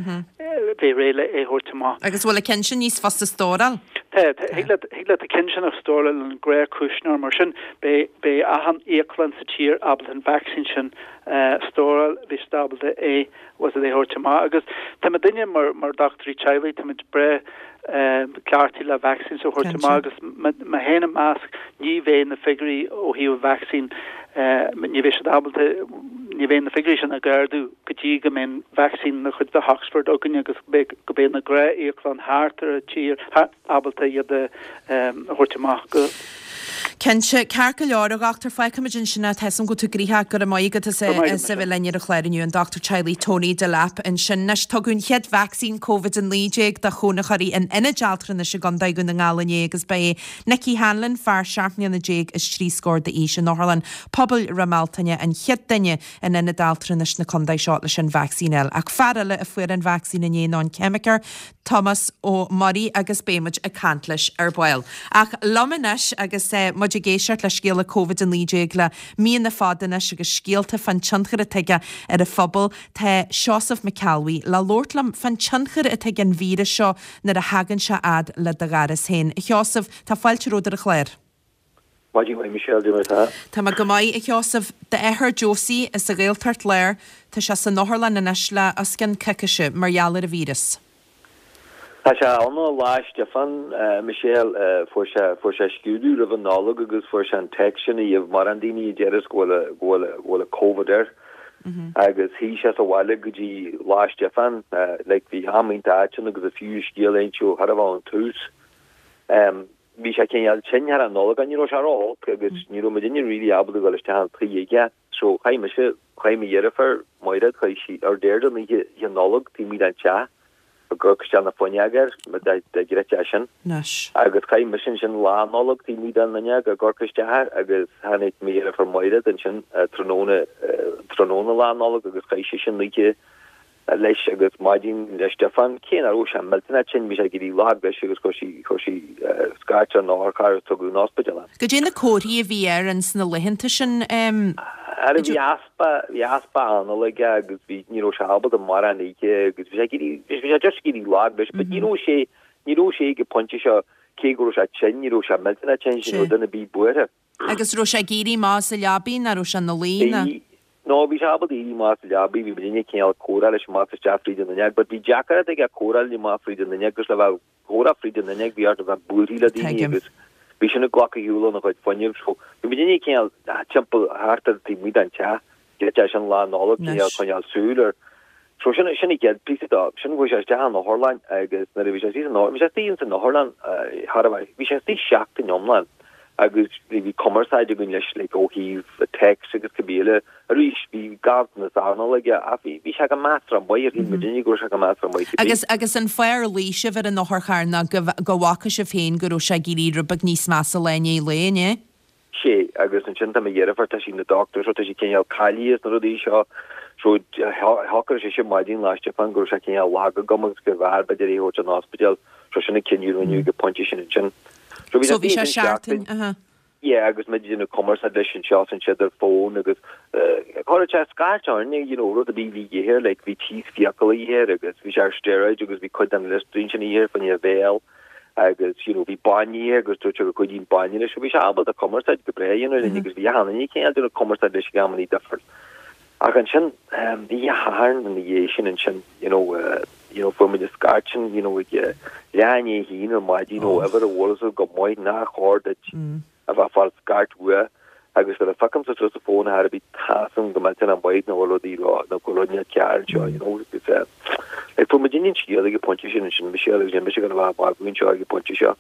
bheith réidh le é a thabhairt amach. Agus bhfuil an ceann sin níos fusa stóráil? Tá, thig leat, thig leat an ceann sin a stóráil in gnáthchuisneoir mar sin beidh, beidh achan íoclann sa tír ábalta an vacsaín sin a stóráil, beidh siad ábalta é, bhfuil fhios agat, é a thabhairt amach. Agus tá muidinne mar, mar dochtúirí teaghlaigh, táimid breá cleachtaithe le vaccines a thabhairt amach agus mé féin ina measc, ní bheidh na figiúirí ó thaobh vacsaín, ní bheidh siad ábalta, ní bheidh na figiúirí sin ag ardú go dtí go mbeidh an vacsaín de chuid Oxford againn agus go mbeidh na gnáth-íoclanna thart ar an tír ábalta iad a thabhairt amach go. Cinnte, ceart go leor, a dhochtúir, fágfaimid ansin é, tá 'fhios a'm go bhfuil tú gnoitheach, go raibh maith agat as as a bheith linn ar an chlár inniu, an Dochtúir Teaghlaigh Tony Delap ansin. Anois, tugadh an chéad vacsaín Covid a naoi déag do chónaitheoirí in ionaid altranais i gContae Dhún na nGall inné agus ba é Nicky Hanlon, fear seacht mbliana déag is trí scór d'aois in Otharlann Pobail Ráth Mealtain an chéad duine in ionad altranais na contae seo leis an vacsaín a fháil. Ach fear eile a fuair an vacsaín inné ná an ceimiceoir Tomás Ó Muirí agus beidh muid ag caint leis ar ball. Ach liom anois agus muid ag éisteacht le scéala Covid a naoi déag le míonna fada anois agus scéalta fán tionchar atá aige ar an phobal, tá Seosamh Mac Ceallbhuí le labhairt liom fán tionchar atá ag an víreas seo nuair a thagann sé fhad le do dhoras féin. A Sheosaimh, tá fáilte romhat ar an chlár. Maidin mhaith Michelle, cad é mar atá? Tá mé go maith, a Sheosaimh. D'athair Josie as an Ghaeltacht Láir, tá sé san otharlann anois le os cionn coicíse mar gheall ar an víreas. Tá sé ann ó Lá Stiofáin, Michelle. Fuair sé, fuair sé scrúdú roimh an Nollaig agus fuair sé an text sin a gheibh mórán daoine a deireas go bhfuil, go bhfuil, go bhfuil Covid air. Agus shuigh sé sa bhaile go dtí Lá Stiofáin. Like bhí am iontach ait ann agus is fiú scéal a inse ó thar a bheith ón tús. Bhí sé cineál tinn thar an Nollaig ach ní raibh sé ró-olc agus ní raibh muidinne really ábalta dul isteach an tigh aige. So chaith mise, chaith mo dheirfiúr, Mairéad, chaith sí ár dtéard an oíche, oíche Nollag taobh amuigh den teach. ag amharc isteach na fuinneog air, dá gcreidfeá sin. Anois. Agus chaith mise ansin Lá Nollag taobh amuigh den fhuinneog ag amharc isteach air agus tháinig mo dheirfiúr Mairéad ansin tráthnóna, tráthnóna Lá Nollag agus chaith sise an oíche leis agus maidin Lá Stiofáin, cé nach raibh sé millteanach tinn, bhí sé ag éirí lag leis agus chuir sí, chuir sí scairt ar an otharcharr agus tugadh 'on ospidéal é. Goidé na comharthaí a bhí air ins na laethanta sin? Ara bhí easpa, bhí easpa anála aige agus bhí, ní raibh sé ábalta mórán a ithe agus bhí sé ag éirí, bhí sé just ag éirí lag leis but ní raibh sé, ní raibh sé ag an pointe seo, cé go raibh sé tinn, ní raibh sé millteanach tinn, ní raibh duine ar bith buartha. Agus raibh sé ag éirí amach as an leabaidh nó raibh sé ina luí nó? Bhí, no bhí sé ábalta éirí amach as an leabaidh, bhí muidinne cineál ag comhrá leis amach is isteach fríd an fhuinneog but bhí deacracht aige comhrá linn amach fríd an fhuinneog agus le bheith comhrá fríd an fhuinneog, bhí ort a bheith buartha le daoine Tuigim. agus bhí sin ag glacadh shiúl óna chuid fuinnimh so bhí muidinne cineál timpeall thart ar taobh amuigh den teach go sin Lá Nollag cineál Anois. coinneáil súil air. So sin sin an chéad píosa dó. Sin chuaigh sé isteach an otharlann agus nuair a bhí sé istigh san bhí sé istigh ins an otharlann thar a bheith bhí sé istigh seachtain iomlán agus bhí bhí cumarsáid againn leis like ó thaobh text agus cibé eile. Arís bhí ganntanas anála aige ach bhí bhí sé go measartha maith ar shíl muidinne go raibh sé go measartha maith cibé. Agus agus an fáth ar ghlaoigh sibh ar an otharcharr ná go go bhfaca sibh féin go raibh sé ag éirí rud beag níos measa lá i ndiaidh lae, an ea? Sea, agus ansin tá mo dheirfiúr, tá sí ina dochtúir so tá sí cineál cáilithe sna rudaí seo so shocraigh sise maidin Lá Stiofáin go raibh sé cineál lag agam agus gurbh fhearr b'fhéidir é a thabhairt an ospidéal so sin an cinneadh a rinneadh ag an pointe sin ansin. So bhí So bhí sé ansin seachtain, aha. Yeah, agus muid ag déanamh cumarsáid leis anseo is ansiúd ar fón agus chuir sé scairt orainn, you know, rud a bhí bhí air, like bhí tíos fiacail air agus bhí sé ar steroid agus bhí cuid den Listerine sin air fá choinne a bhéal agus you know, bhí bainne air agus dúirt sé go gcuidíonn bainne leis, so bhí sé ábalta cumarsáid go breá a dhéanamh linn agus bhí achan duine cineál ag déanamh cumarsáid leis ag amannaí difriúil. Ach ansin, um, bhí a Shathairn ina dhiaidh sin ansin, you know, uh, you know, fuair muid an scairt sin, you know, ag uh, leath i ndiaidh a haon ar maidin ó uimhir a bhfuil fhios go maith nár chóir duit a bheith ag fáil scairt uaidh agus nuair a phiocáimse suas an fón ar bith tá fhios agam go millteanach maith nach bhfuil rudaí rá nó go bhfuil rud neamhcheart anseo, you know, agus eh, like fuair muid an scéal ag an bpointe sin ansin, Michelle agus mise ag a bheith ag anseo ag an bpointe seo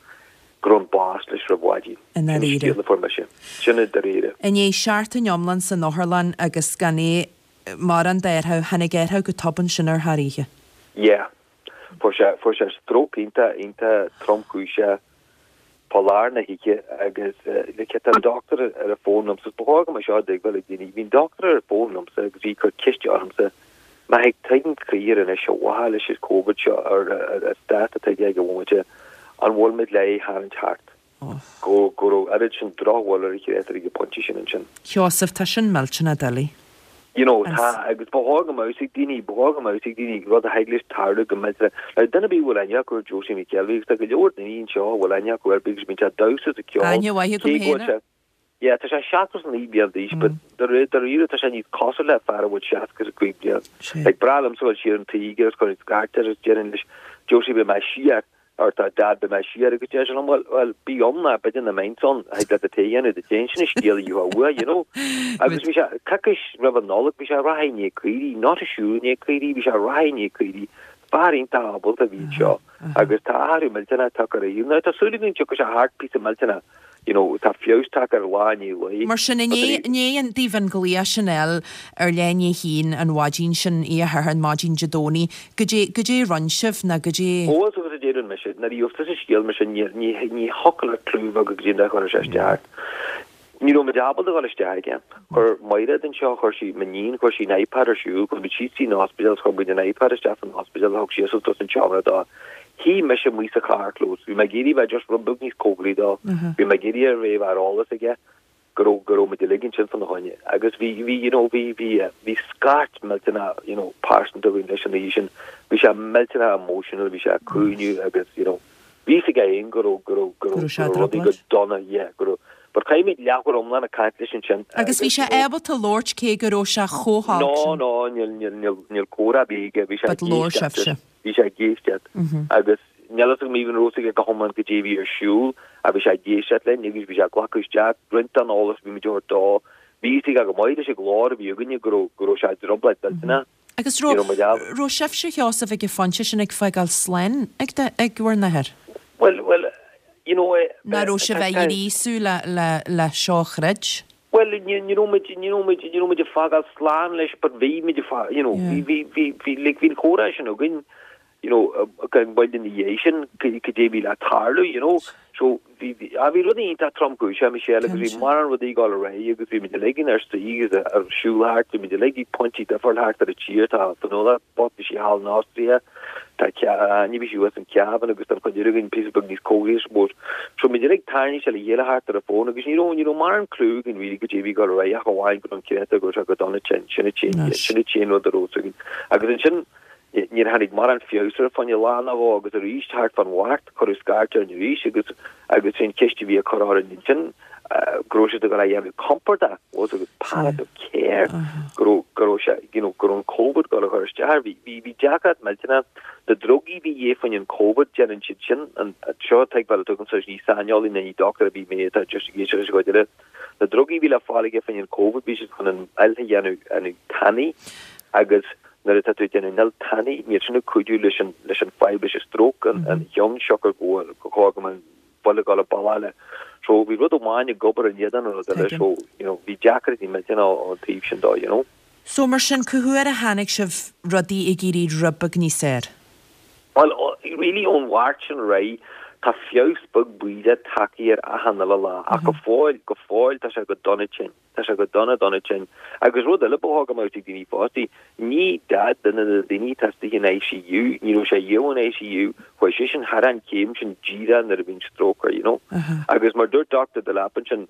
go raibh an bás leis roimh mhaidin. I ndáiríre. Sin an scéal a fuair mise. Sin i ndáiríre. I ndiaidh seachtain iomlán san otharlann agus gan é mórán d'athrú, tháinig athrú go tobann sin ar thar oíche. Yeah. Fuair sé fuair sé stróc iontach iontach tromchúiseach fá lár na hoíche agus like tá an doctor ar an bhfón liomsa, ba chóir go mbeadh seo á dtuigbheáil ag daoine, bhí an doctor ar an bhfón liomsa agus bhí ag cur ceiste ormsa, má thig tuigim críor anois a mhaithe leis an Covid seo ar an stát atá aige ag an bhomaite, an bhfuil muid le é a tharraingt thart? Go go raibh oiread sin drochbhail ar a chréatúr ag an bpointe sin ansin. Sheosamh, tá sin millteanach doiligh. You know, tá, agus ba chóir go mbeadh fhios ag daoine, ba chóir go mbeadh fhios ag daoine rud a thig leis tarlú go millteanach. Now, duine ar bith a bhfuil aithne acu ar Josie McKelvey, agus tá go leor daoine anseo a bhfuil aithne acu air because bíonn sé ag damhsa is ag ceol. Aithne mhaith agam Cé go bhfuil féin sé, yeah, tá sé seachtó is a naoi bliain d'aois, but dáiríre tá sé níos cosúil le fear a bhfuil seasca is a cúig bliain. Like, breá liomsa dul siar an tigh agus chun scairt air agus déarfainn leis, Josie, beidh mé siar. Or tá Dad beidh mé siar agus deir sé liom, bhuel, bhuel, bí ann ná b'fhéidir nach mbeinnse ann, thig leat an tae a dhéanamh duit féin, sin an scéal a gheofá uaidh, you know. Agus bhí sé, coicís roimh an Nollaig, bhí sé ag rith i ndiaidh caoirigh, not ag siúl i ndiaidh caoirigh, bhí sé ag rith i ndiaidh caoirigh, fear iontach ábalta a bhí anseo agus tá athrú millteanach tagtha ar a shaol. Now tá súil againn tiocfaidh sé thart píosa millteanach you know, tá feabhas tagtha air lá i ndiaidh lae. Mar sin, i ndiaidh daoibh an glaoch sin a fháil ar leath i ndiaidh a haon an mhaidin sin, oíche Shathairn, maidin Dé Domhnaigh, goidé, goidé a rinne sibh ná goidé. Ó, is agus a deireann mise, nuair a gheobhas tusa scéal mar sin, ní, ní, ní thiocfadh leat clue a bheith agat goidé an dóigh a chuirfeadh sé isteach ort. Ní raibh muid ábalta dul isteach aige. Chuir Mairéad anseo, chuir sí, m'iníon, chuir sí an iPad ar siúl, chuaigh muid síos dtí an ospidéal agus chuir muid an iPad isteach san ospidéal, thug sí suas an seomra dó. Shuigh mise amuigh sa charrchlós, bhí mé ag iarraidh bheith just rud beag níos cóngaraí dó, bhí mé ag iarraidh ar bheith ar eolas aige go raibh, go raibh muid uilig ansin fána choinne. Agus bhí, bhí, you know, bhí, bhí, bhí scairt millteanach, you know, pearsanta againn leis an oíche sin. Bhí sé millteanach emotional, bhí sé ag caoineadh agus, you know, bhí fhios aige féin go raibh, go raibh, go Go raibh, raibh sé go i raibh rudaí go dtrioblóid. dona, yeah, go raibh, but chaith muid leathuair iomlán ag caint leis ansin Agus bhí agus, sé you know, ábalta labhairt cé go raibh sé chomh holc No, sin? no, níl, níl, níl, níl comhrá ar bith aige, bhí sé But ag labhair éisteacht, sibhse. bhí sé ag éisteacht agus níl fhios agam even raibh fhios aige go hiomlán goidé a bhí ar siúl ach bhí sé ag éisteacht linn agus bhí sé ag glacadh isteach roinnt den eolas a bhí muid a thabhairt dó. Bhí fhios aige go maith leis an ghlór a bhí againne go raibh, go raibh sé i dtrioblóid mhillteanach. Agus You know, raibh, muid á- raibh sibhse Sheosamh ag an phointe sin ag fágáil slán ag, de, ag bhur n-athair? Well, well, you know, eh, Ná raibh sibh tá- ag tá- éirí súil le, le, le seo a chreid? Well, ní ní raibh muid, ní raibh muid, ní raibh muid ag fágáil slán leis, but bhí muid ag fá-, you know, Yeah. bhí, bhí, bhí, bhí, like, bhí an comhrá sin againn, you know, uh, gan bhfuil ina dhiaidh sin, go- goidé a bhí le tarlú, you know. So, bhí, bhí, ah, bhí rudaí iontach tromchúiseach, Michelle, agus bhí Cinnte. mórán rudaí ag dul ar aghaidh agus bhí muid uilig inár suí agus ar siúl thart, bhí muid uilig ag pointí difriúil thart ar an tír, tá Fionnuala bocht, bhí sí thall in Austria, tá Ce-, ní bhí sí thuas in Cavan agus tá an chuid eile againn píosa beag níos cóngaraí, I suppose. So muid uilig tarraingthe le chéile thart ar an bhfón agus ní raibh, ní raibh mórán clue againn really goidé a bhí ag dul ar aghaidh ach amháin go raibh an créatúr go raibh sé go dona tinn, sin an t-aon, Anois. sin an t-aon rud a raibh fhios againn. Agus ansin, níor tháinig mórán feabhas air fá choinne lá nó dhó agus arís thart fán Mháirt cuireadh scairt orainn arís agus agus sin ceist a bhí á cur orainn ansin, go raibh siad ag dul a dhéanamh compordach was agus palliative care go raibh go raibh sé you know, go raibh an Covid ag dul a chur isteach air. Bhí bhí bhí deacracht millteanach. Na drugaí a bhí aige fá choinne an Covid déanann siad sin an seo tuigbheáil agamsa ní saineolaí ná ní doctor a bhí mé atá just ag éisteacht leis an gcuid eile. Na drugaí a bhí le fáil aige fá choinne an Covid bhí siad chun an fhuil a dhéanamh an tanaí agus nuair atá tú ag déanamh an fhuil tanaí níl sin ag cuidiú leis an leis an fadhb leis an stroke an an cheann siocair go bhfuil go go go an buile go baile eile. So bhí rud amháin ag obair in éadan an rud eile Tuigim. so you know bhí deacrachtaí millteanach ón taobh sin dó you know. So mar sin cá huair a tháinig sibh rudaí ag éirí rud beag níos fearr? Well, o- really ón Mháirt sin réidh tá feabhas beag bídeach tagtha air achan uile lá ach go fóill go fóill tá sé go dona tinn. Tá sé go dona dona tinn. Agus rud eile ba chóir go mbeadh ag daoine fostaí, ní dad duine de na daoine atá istigh in ICU, ní raibh sé riamh in ICU, chuaigh seisean thar an chéim sin díreach nuair a bhí an stroke air, you know. Agus mar dúirt Doctor Delap ansin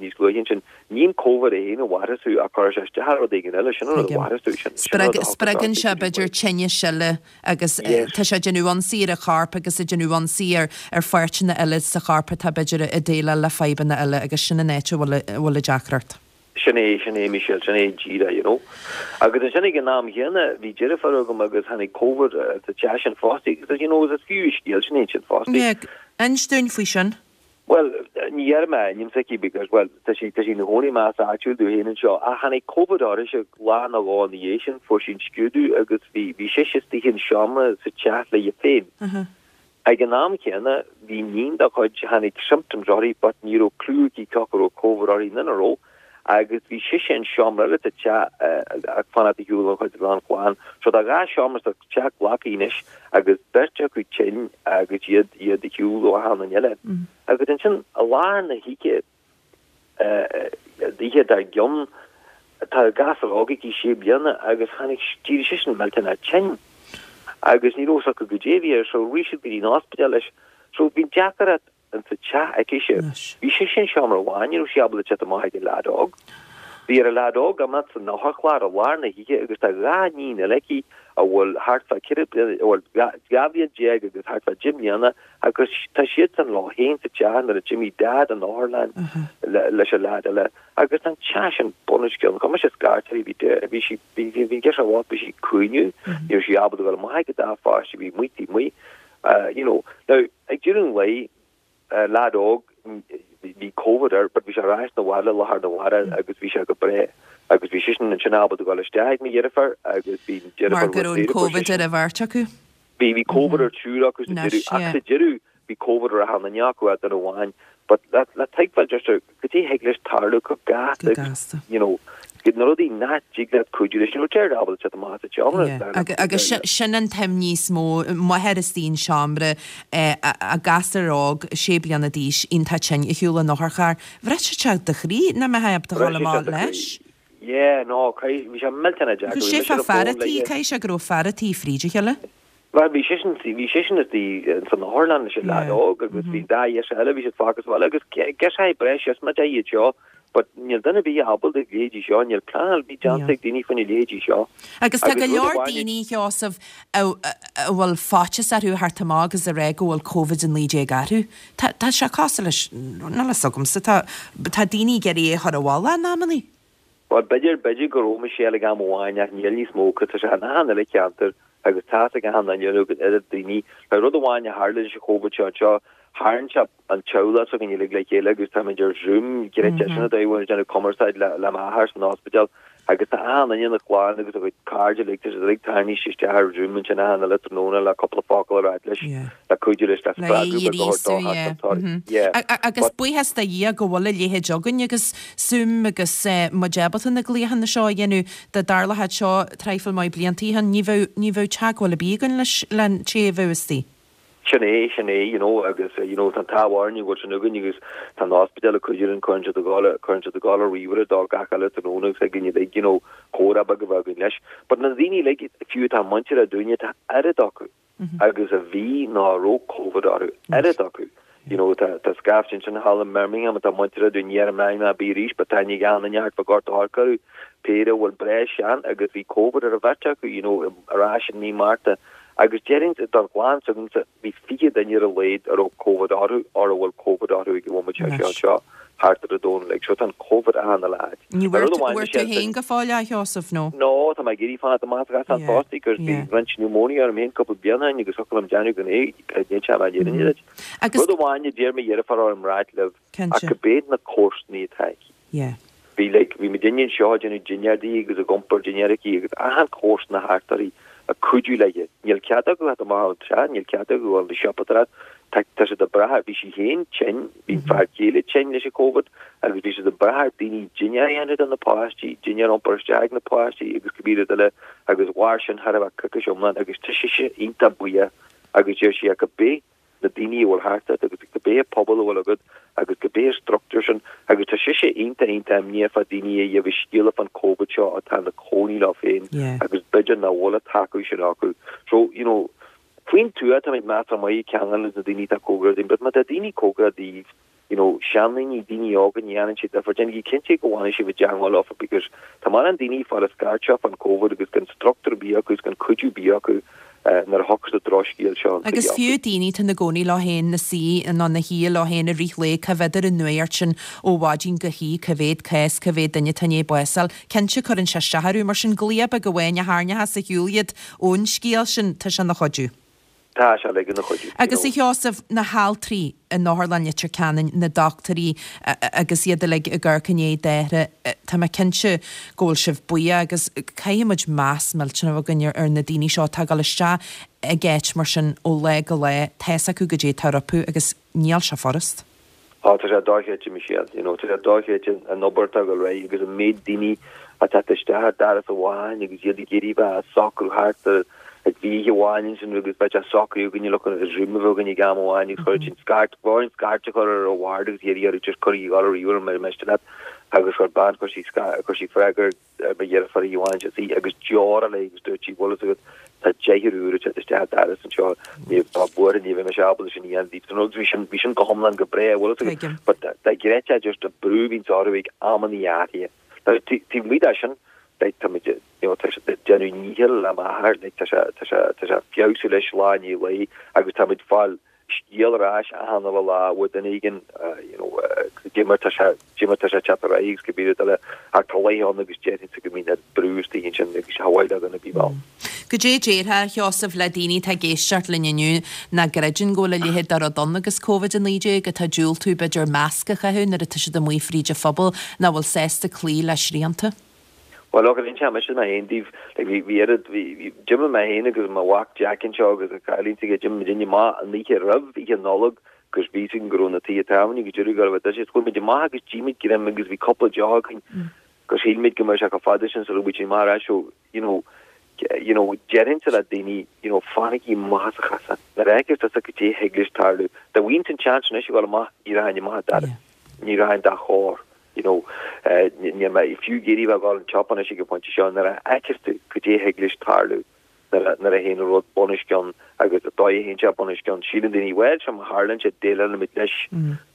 níos luaithe ansin, ní an Covid é féin a mharaíos thú ach cuireann sé isteach ar rud éigin eile, sin an rud a mharaíos thú, sin sin an rud a thiocfas Spreagann sé b'fhéidir tinneas eile agus tá sé ag déanamh ionsaí ar an chorp agus ag déanamh ionsaí ar ar pháirteanna eile sa chorp atá b'fhéidir ag déileáil le fadhbanna eile agus sin an áit a bhfuil a bhfuil an deacracht. Sin é, sin é Michelle, sin é díreach, you know. Agus ansin ag an am chéanna bhí deirfiúr agam agus tháinig Covid sa teach sin fosta agus you know is fiú an scéal sin é sin fosta. Yeah, inis dúinn faoi sin. Bhuel, ní dhéarfaidh mé a ainm s'aici because, bhuel, tá sí, tá sí ina cónaí i measc áitiúil dúinn féin anseo. Ach tháinig Covid uirthise lá nó dhó ina dhiaidh sin, fuair sí an scrúdú agus bhí, bhí sise istigh in seomra sa teach léi féin. Ag an am chéanna, bhí iníon dá cuid, tháinig symptoms uirthi but ní raibh clue aici cé acu raibh Covid uirthi nó nach raibh. Agus bhí sise in seomra eile sa teach ag fanacht ar shiúl ón chuid den chlann. So tá dhá seomra sa teach glactha anois agus beirt acu tinn agus iad iad ar shiúl ó achan duine eile. Agus ansin i lár na hoíche, an oíche dár gcionn, tá gasúr óg aici sé bliana agus tháinig, d'éirigh seisean millteanach tinn agus ní raibh fhios acu goidé a bhí air so rith siad go dtí an ospidéal leis. So bhí deacracht in sa teach aicise. Bhí sise in seomra amháin, ní raibh sí ábalta teacht amach ag an leaid óg. Bhí ar an leaid óg imeacht san otharcharr i lár na hoíche agus tá dhá níon eile aici a bhfuil thart fá ceithre bliana, bhuel, dhá bhliain déag agus thart fá deich mbliana agus tá siadsan leo féin sa teach nuair a d'imigh Daid an otharlann leis an leaid eile agus tá an teach sin bunoscionn. Chuir mise scairt uirthi, bhí, bhí sí, bhí, bhí, bhí an girseach bhocht, bhí sí ag caoineadh, ní raibh sí ábalta dul amach ag an dá pháiste a bhí amuigh taobh amuigh. You know, now, ag deireadh an lae, leaid óg, bhí Covid air, but bhí sé ar ais 'na bhaile lá arna mhárach agus bhí sé go breá agus bhí seisean ansin ábalta dul isteach ag mo dheirfiúr agus bhí an deirfiúr Mar go raibh an Covid ar an bheirt acu? Bhí, bhí Covid ar triúr acu sa deireadh, ach sa deireadh bhí Covid ar achan duine acu ach duine amháin. But le, le tuigbheáil just ar, goidé thig leis tarlú chomh gasta Go agus, gasta. you know, na rudaí nach dtig leat cuidiú leis, ní raibh Jared ábalta teacht amach as an tseomra. Yeah. Agus, agus sin, sin an t-imní is mó, máthair istigh in seomra, a gasúr óg, sé bliana d'aois, iontach tinn, ar shiúl in otharcharr. Bhrisfeadh sé do chroí nach mbeifeá ábalta dhul Bhrisfeadh sé amach do chroí. leis. Yeah, no, caithfidh, bhí sé millteanach deacair, Agus bhí sé mise fá ar an fear bhfón a tí, léi. caithfidh sé go raibh fear a tí fríd a chéile. Bhuel, bhí seisean, bhí seisean istigh san otharlann leis an leaid Yeah. óg agus bhí dá dheirfiúr eile, bhí siad fágtha sa bhaile agus girseachaí breá siosmaideach iad seo but níl duine ar bith ábalta a leithéidí seo, níl pleanáil ar bith déanta ag daoine faoina leithéidí seo. Agus tá Agus go rud leor amháin, daoine, Sheosamh, a a bhfuil faitíos orthu a theacht amach agus a rá go bhfuil Covid a naoi déag orthu. Tá tá sé cosúil leis, níl a fhios agamsa, tá tá daoine ag iarraidh é a chur i bhfolach in amannaí. Bhuel, b'fhéidir, b'fhéidir go raibh Michelle ag am amháin ach níl níos mó, 'cause tá sé in achan uile cheantar agus tá's ag achan duine agus oiread daoine. Now rud amháin a tharla leis an Covid seo anseo, tharraing sé an teaghlach s'againn uilig le chéile agus táimid ar Zoom, gréite sin an dóigh a bhfuil muid ag déanamh cumarsáid le le m'athair san ospidéal agus tá achan duine ina chlann agus a gcuid cairde uilig, tá siad uilig tarraingthe isteach ar Zoom ansin achan uile tráthnóna le cúpla focal a ráit leis, le cuidiú leis, le Le spreagadh beag a é a thabhairt dó ghríosú, thart yeah. an toraidh. Yeah. Agus But. buíochas do Dhia go bhfuil a leithéid againn agus Zoom agus muid ábalta na glaochanna seo a dhéanamh. Dá dtarlódh seo traidhfil maith blianta ó shin, ní bheadh, ní bheadh teagmháil ar bith againn leis, len té a bheadh istigh. Sin é, sin é, you know, agus you know, tá an t-ádh orainn go bhfuil sin againn agus tá an ospidéal ag cuidiú linn, cuireann siad ag dul, cuireann siad ag dul ar ríomhaire dó gach uile tráthnóna agus ag an uilig, you know, comhrá beag a bheith againn leis. But na daoine uilig, fiú atá muinteartha dúinne, tá oiread acu agus a bhí nó a raibh Covid orthu, oiread acu. You know, tá, tá scaifte ansin thall i mBirmingham atá muinteartha dúinn, ní dhéarfaidh mé ainm ar bith arís, but tá aithne ag achan duine thart fá Ghort a' Choirce orthu, péire a bhfuil breá sean agus bhí Covid ar an bheirt acu, you know, ar ais in mí Márta. Agus déarfainn don chlann s'agamsa, bhí fiche duine ar a laghad a raibh Covid orthu or a bhfuil Covid orthu ag an bhomaite seo Anois. anseo thart ar an domhan uilig. So tá an Covid achan uile áit. Ní Now bhfuair rud tú, amháin bhfuair tú Michelle, féin go fóill a Sheosaimh, nó? No, tá mé ag iarraidh fanacht amach as an Yeah, fostaí cos bhí yeah. roinnt pneumonia orm féin cúpla bliain ó shin agus thiocfadh liom déanamh gan é, níl sé mar fhírinne duit. Agus Rud amháin a d'iarr mo dheirfiúr orm ráit libh ach Cinnte. cibé na comharsanaí atá aici. Yeah. Bhí like, bhí muidinne anseo ag déanamh dinnéar di agus ag iompar dinnéar aici agus achan chomharsana thart uirthi ag cuidiú léi. Níl cead acu theacht amach ón teach, níl cead acu dul na siopadóireacht. Tá tá siad ag brath, bhí sí féin tinn, bhí an fear céile tinn leis an Covid agus bhí siad ag brath ar daoine dinnéar a dhéanamh do na páistí, dinnéar a iompar isteach ag na páistí agus cibé rud eile agus mhair sin thar a bheith coicís iomlán agus tá sise iontach buíoch agus deir sí ach cibé na daoine a bhfuil thart ort agus cibé pobal a bhfuil agat agus cibé struchtúr sin agus tá sise iontach iontach imníoch fá daoine a gheobhaidh scéala fán Covid seo atá ina cónaí leo féin agus b'fhéidir nach bhfuil an tacú sin acu. So, you know, faoin tuath táimid measartha maith ag ceangal leis na daoine atá cóngarach dúinn, but má tá daoine cóngarach daoibh, you know, seandaoine, daoine óga, ní dhéanann sé difear, déanaigí cinnte go bhfanfaidh sibh i dteangmháil leofa because tá mórán daoine ag fáil an scairt seo fán Covid agus gan struchtúr ar bith acu agus gan cuidiú ar bith acu nuair a thiocfas an drochscéal seo an Agus fiú daoine atá ina gcónaí leo féin, na suí nó na shuí leo féin i rith lae, cá bhfeadar an nuacht sin ó mhaidin go hoíche, cá mhéad cás, cá mhéad duine atá i ndiaidh bás a fháil. Cinnte cuireann sé isteach orthu, mar sin glao beag amháin a tharraingeochas ar shiúl iad ón scéal sin, tá sé ina chuidiú. Tá sé uilig ina chuidiú. Agus a Sheosaimh, na haltraí in Otharlann Leitir Ceanainn, na dochtúirí agus iad uilig ag amharc i ndiaidh d'othar, tá mé cinnte go bhfuil sibh buíoch agus caithfidh muid meas millteanach a bheith againn ar na daoine seo atá ag dul isteach ag áit mar sin ó lá go lá, tá's acu goidé atá rompu agus níl sé furast. Á, tá sé dochreidte, Michelle, you know, tá sé dochreidte an obair atá ag dul ar aghaidh agus an méid daoine atá ag teacht isteach ar doras amháin agus iad ag iarraidh bheith ag socrú thart ar ag bhí oíche amháin ansin agus beidh sé socraithe againne le chun Zoom a bheith againn ag am amháin agus chuir sin scairt bhí orainn scairt a chur ar an ward agus iarraidh orthu just cuireadh a dhul ar ríomhaire mar miste leat agus chuir bean chuir sí chuir sí freagra ar mo dheirfiúr oíche amháin sí agus deora léi agus dúirt sí bhfuil fhios agat tá deichniúr úr ag teacht isteach an doras anseo ní tá buartha ní bheidh mise ábalta sin a dhéanamh daoibh agus bhí sin bhí sin go hiomlán go breá bhfuil fhios agat but dá gcreidfeá just an brú a bhíonns orthu ag amannaí áirithe taobh amuigh de sin like tá muid you know tá sé ag déanamh nícheall le m'athair like tá sé tá sé tá sé ag feabhsú leis lá i ndiaidh lae agus tá muid ag fáil scéal ar ais achan uile lá ó dhuine éigin you know goidé mar tá sé goidé mar tá sé ag teacht ar aghaidh agus cibé rud eile ach tá laethe ann agus déarfainnse go mbíonn an brú istigh ansin agus cha mhaith le duine ar bith bheith ann. Goidé déarfá, a Sheosaimh, le daoine atá ag éisteacht linn inniu nach gcreideann go bhfuil a leithéid de rud ann agus Covid a naoi déag, atá ag diúltú b'fhéidir masc a chaitheamh nuair atá siad amuigh fríd an phobal, nach bhfuil sásta cloí le srianta? Bhuel, look, inseoidh mise mé féin daoibh, like, bhí, bhí oiread, bhí, bhí, d'imigh mé féin agus mo mhac Jack anseo agus an cailín s'aige, d'imigh muidinne amach an oíche roimh Oíche Nollag agus bhí fhios againn go raibh na tithe tábhairne agus deireadh go raibh a Chuaigh muid amach agus d'ith muid greim agus bhí cúpla deoch againn agus shíl muid go mbeadh sé chomh fada sin sula bhfuil muid amach ar ais so, you know, you know, déarfainnse le daoine, you know, fanaigí amach as an chasán. Nuair a fheiceas tusa goidé thig leis tarlú. Dá bhfaighinn an chance anois a dhul amach, ní rachainn amach an doras. Ní rachainn dá chor. You know, níl mé fiú ag iarraidh bheith ag dul an tsiopa anois ag an phointe seo, nuair a fheiceas tú goidé thig leis tarlú nuair a, nuair a théann an rud bunoscionn agus an dóigh a théann sé bunoscionn, síleann daoine, bhuel, seo má tharlaíonn sé, déileálfaimid leis.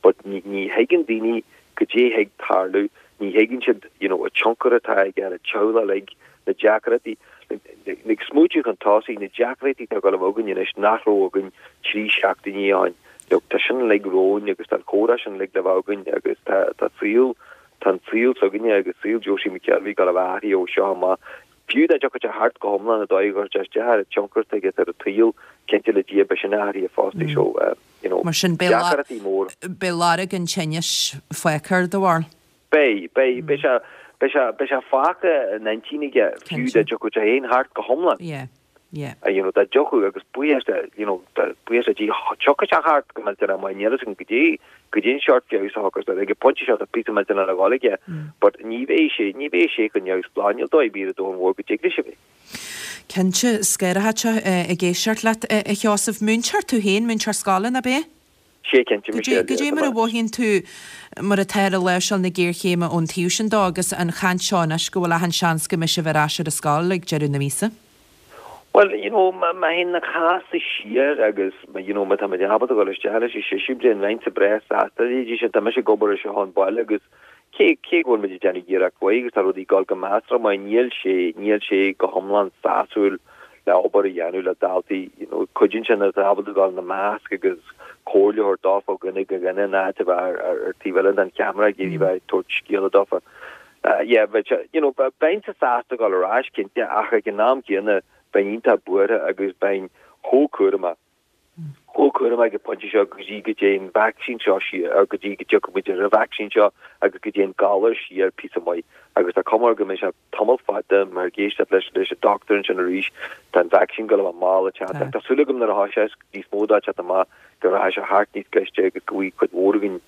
But ní, ní thuigeann daoine goidé thig tarlú, ní thuigeann siad, you know, an tionchar atá aige ar an teaghlach uilig, na deacrachtaí, ag smaoitiú chun tosaigh, na deacrachtaí atá ag dul a bheith againn anois nach raibh againn trí seachtainí ó shin. Look, tá sin uilig romhainn agus tá an comhrá sin uilig le bheith againn agus tá, tá saol, tá an saol s'againne agus saol Josie McKelvey ag dul a bheith athraithe ó seo amach. Fiú dá dtiocfadh sé thart go hiomlán an dóigh a gcuirfeadh sé isteach ar an tionchar atá aige ar an tsaol, cinnte le Dia beidh sin athraithe fosta so, you know, Mar sin, beidh deacrachtaí mór. beidh lorg an tinnis fágtha air do bharúil? Beidh, beidh, beidh sé, beidh sé, beidh sé fágtha in intinn aige fiú dá dtiocfadh sé féin thart go hiomlán. Yeah. Yeah. You know, dá dtiocfadh agus buíochas le, you know, buíochas le Dia, tiocfaidh sé thart go millteanach maith, níl fhios agam goidé, goidé an seort feabhas a thiocfas air, ag an bpointe seo tá píosa millteanach le dhul aige, but ní bheidh sé, ní bheidh sé chomh neamhspleách, níl dóigh ar bith ar an domhan mhór go dtig leis a bheith. Cinnte, scanraitheach ag éisteacht leat, a Sheosaimh. Múinteoir tú féin, múinteoir scoile, nach ea? Sé cinnte, Michelle, Goidé mar a mhothaíonn tú mar atá ar láimhseáil na géarchéime ón taobh sin dó agus an chaint seo anois go bhfuil achan seans go mbeidh sibh ar ais ar an scoil ag deireadh na míosa? Bhuel, you know, má théann na cásanna siar agus, you know, má tá muid ábalta dul isteach leis an séú bliain, bheinnse breá sásta leis sin. Tá mise ag obair anseo ón baile agus cé, cé go bhfuil muid ag déanamh iarracht mhaith agus tá rudaí ag dul go measartha maith, níl sé, níl sé go hiomlán sásúil le obair a dhéanamh le daltaí, you know, cuidíonn sé nuair atá ábalta dul ina measc agus comhairle a thabhairt dófa ó dhuine go dhuine in áit a bheith ar, ar, ar taobh eile den cheamara ag iarraidh bheith ag tabhairt scéala dófa. Yeah, bheadh sé, you know, bheinnse sásta dul ar ais, cinnte, ach ag an am céanna bheinn iontach buartha agus bheinn chomh cúramach, chomh cúramach ag an bpointe seo go dtí go dtéann an vacsaín seo siar, or go dtí go dtiocfaidh muid ar an vacsaín seo agus go dtéann galar siar píosa maith. Agus tá cuma air go mbeidh sé tamall fada, mar ag éisteacht leis leis an dochtúir ansin arís, tá an vacsaín ag dul a bheith mall ag teacht. Ach tá súil agam nuair atá sé níos mó dá teacht amach go rachaidh sé thart níos gaiste agus go bhfaighidh cuid mhór againn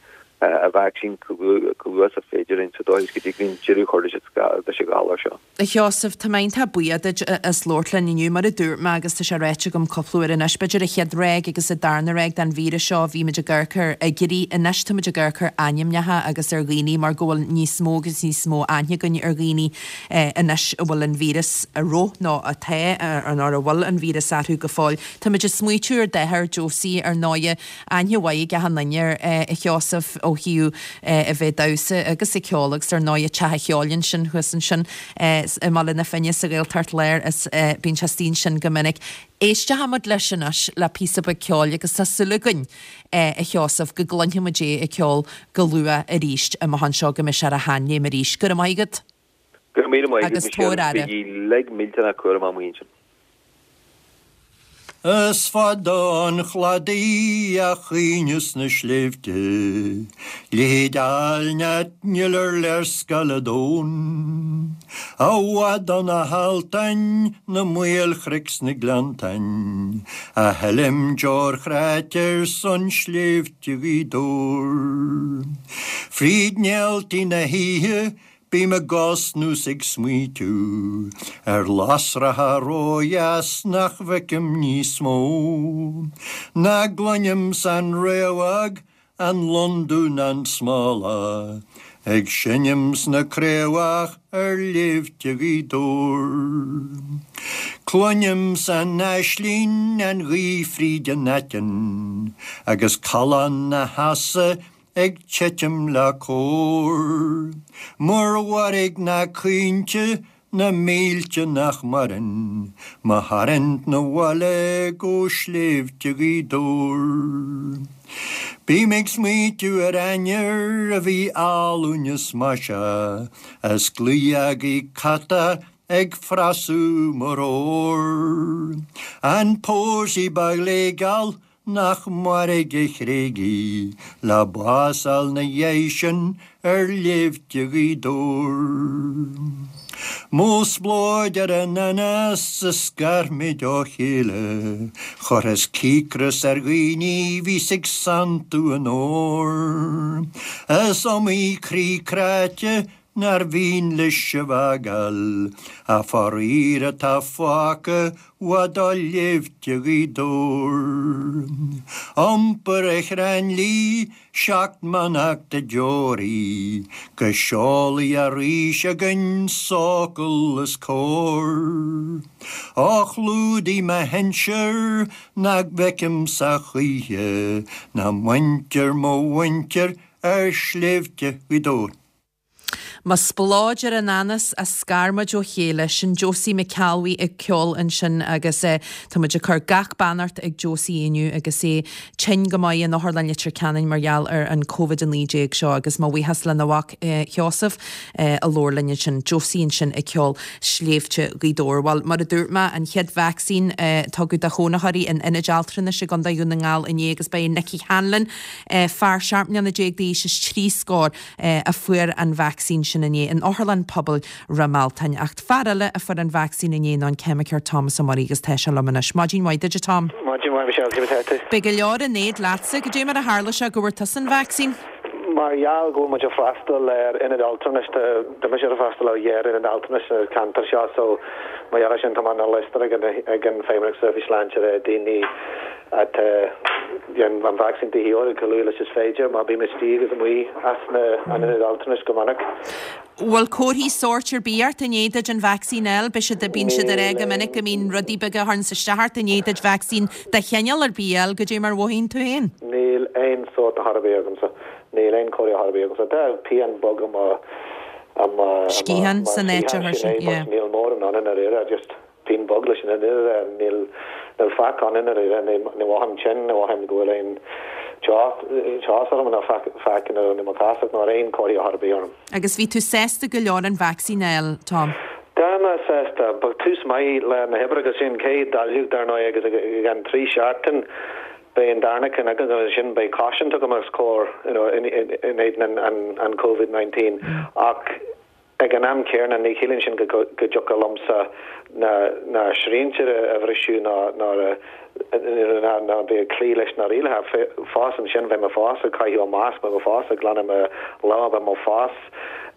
an vacsaín chomh luath is féidir linn sa dóigh is go dtig linn deireadh a chur leis an ghalar seo. A Sheosaimh, tá mé iontach buíoch duit as labhairt linn inniu. Mar a dúirt mé agus tá sé ráite agam cúpla uair anois, b'fhéidir an chéad ráig agus an darna ráig den víreas seo, bhí muid ag amharc ar fhigiúirí, anois tá muid ag amharc ar ainmneacha agus ar dhaoine mar go bhfuil níos mó agus níos mó aithne againn ar dhaoine anois a bhfuil an víreas a raibh nó atá nó a bhfuil an víreas orthu go fóill. Tá muid ag smaoitiú ar d'athair Josie ar ndóighe, aithne mhaith ag achan duine air, a Sheosaimh, ó thaobh a bheith ag damhsa agus ag ceol agus ar ndóighe Teach an Cheoil ansin thuas ansin i mBaile na Finne sa Ghaeltacht Láir is bíonn sé istigh ansin go minic. Éistfidh muid leis anois le píosa beag ceoil agus tá súil againn a Sheosaimh go gcluinfidh muid é ag ceol go luath arís amach anseo go mbeidh sé ar a sheanléim arís. Go raibh maith agat. Go raibh míle maith agat Agus tabhair Michelle. aire. Bígí uilig millteanach cúramach amuigh ansin. Is fada an chladaí a chaoineas na sléibhte, leithéid áilne níl ar léarscáil an domhain. I bhfad ó na haltáin, na maolchnoic 's na gleanntáin, a shilim deoir chráite ar son sléibhte Ghaoth Dobhair. Fríd néaltaí na hoíche Bím ag osnú 's ag smaoitiú ar lasracha ródheas nach bhfeicim níos mó, ná gcluinim san fhraochmhadh an londubh ná an smólach ag seinm sna craobhacha ar shléibhte Ghaoth Dobhair. Cluinim san aislinn an ghaoth fríd an aiteann agus callán na heasa ag titim le cór. Mar mhairg na caointe na mílte nach maireann, mo tharraingt 'na bhaile go sléibhte Ghaoth Dobhair. Bím ag smaoitiú ar ainnir a bhí álainn is maiseach, is claí agaí cata ag frasú mar ór. An pósaí ba ghléigeal nach mairg a thréig í, le bás a fháil 'na dhiaidh sin ar shléibhte Ghaoth Dobhair. Mo spleodar ar an anas a scar muid ó chéile, chuireas cíocras ar dhaoine bhíos ag santú an óir. Is iomaí croí cráite nár mhian leis sibh a fhágáil, ach faraor atá fágtha i bhfad ó shléibhte Ghaoth Dobhair. Iompar ar chrann liath seacht mbeannacht de deoraí, go seolfaí arís againn socal is cóir. Ó chlúdaigh mo shinsir nach bhfeicimse choíche, ná muintir mo mhuintir ar shléibhte Ghaoth Dobhair. Mo spleodar ar an anas a scar muid ó chéile, sin Josie McAlwee ag ceol ansin agus eh, tá muid ag cur gach beannacht ag Josie inniu agus é tinn go maith in Otharlann Leitir Ceanainn mar gheall ar an Covid a naoi déag seo agus mo bhuíochas lena mhac eh, Sheosamh eh, a labhair linn ansin, Josie ansin ag ceol Sléibhte Ghaoth Dobhair. Bhuel, mar a dúirt mé an chéad vacsaín eh, tugadh do chónaitheoirí in Ionad Altranais i gContae Dhún na nGall inné agus ba é Nicky Hanlon eh, fear seacht mbliana déag d'aois is trí scór eh, a fuair an vacsaín sin inné in Otharlann Pobail Ráth Mealtain. Ach fear eile a fuair an vacsaín inné ná an ceimiceoir Thomas Ó Muirí agus tá sé liom anois. Maidin mhaith duit Tom. Maidin mhaith Michelle, cé tú? Beidh go leor in éad leatsa goidé mar a tharla sé go bhfuair tusa an vacsaín? Mar gheall go bhfuil muid ag freastal ar ionad altranais tá mise ag freastal ar dhá ionad altranais sa ceantar seo so mar gheall sin tá an liosta ag an ag an Feidhmeannacht Seirbhís Sláinte le daoine atá an vacsaín de dhíth chomh luath leis is féidir má bhí istigh agus amuigh as na an ionad altranais go minic. Bhfuil comharthaí sóirt ar bith ort i ndiaidh duit an vacsaín a fháil, b'é siad bíonn siad ar go minic go mbíonn rudaí beaga a chuireann isteach ort i ndiaidh duit vacsaín de chineál ar bith a fháil goidé mar a mhothaíonn tú féin. Níl aon sórt ar bith agamsa, níl aon chomhartha ar bith agamsa. Tá pian beag am am Sciathán san áit a chuir sin, yeah. Níl mórán ann ar aon just pian beag leis sin níl níl faic ann ar aon ní mhothaím tinn ní mhothaím go bhfuil aon teas orm ná faic nó mo chás ná aon chomhartha ar bith orm. Agus bhí tú sásta go leor an vacsaín a fháil, Tom. Tá mé sásta, ba tús maith le na hoibre agus sin céad dáileog dar ndóigh agus ag an trí seachtain beidh an darna ceann agus sin beidh cosaint agam os comhair you know, in, in, in éadan an, an, an COVID nineteen ach Ag an am céanna, ní chiallaíonn sin go dtiocfadh liomsa na srianta a bhriseadh ná ná bheith ag cloí leis na rialacha. Fós ansin, bheidh mé fós ag caitheamh masc, beidh mé fós ag glanadh mo lámha, beidh mé fós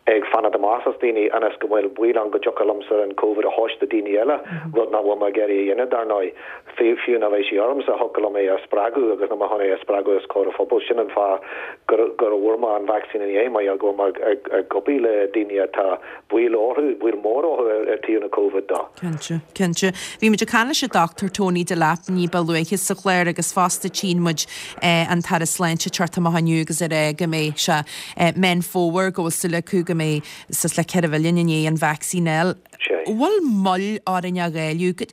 ag fanacht amach as daoine ionas go bhfuil baol ann go dtiocfadh liomsa an Covid a thabhairt do daoine eile, rud nach bhfuil mé ag iarraidh a dhéanamh, dar ndóigh. Fiú ná bheidh sé ormsa, thiocfadh liom é a spreagadh agus níl mé chun é a spreagadh os comhair an phobail. Sin an fáth gur bhfuair mé an vacsaín inné, mar gheall go bhfuil mé ag obair le daoine atá baol orthu, baol mór orthu ar taobh na Covid dó. Cinnte, cinnte. Bhí muid ag caint leis an Dochtúir Tony Delap ní ba luaithe sa chlár agus fosta tchíonn muid an tAire Sláinte ag teacht amach inniu agus ag rá go mbeidh sé Meán Fómhair go bhfuil súil acu go mbeidh suas le ceithre mhilliún i ndiaidh an vacsaín a fháil. Bhfuil moill orainn á dháileadh?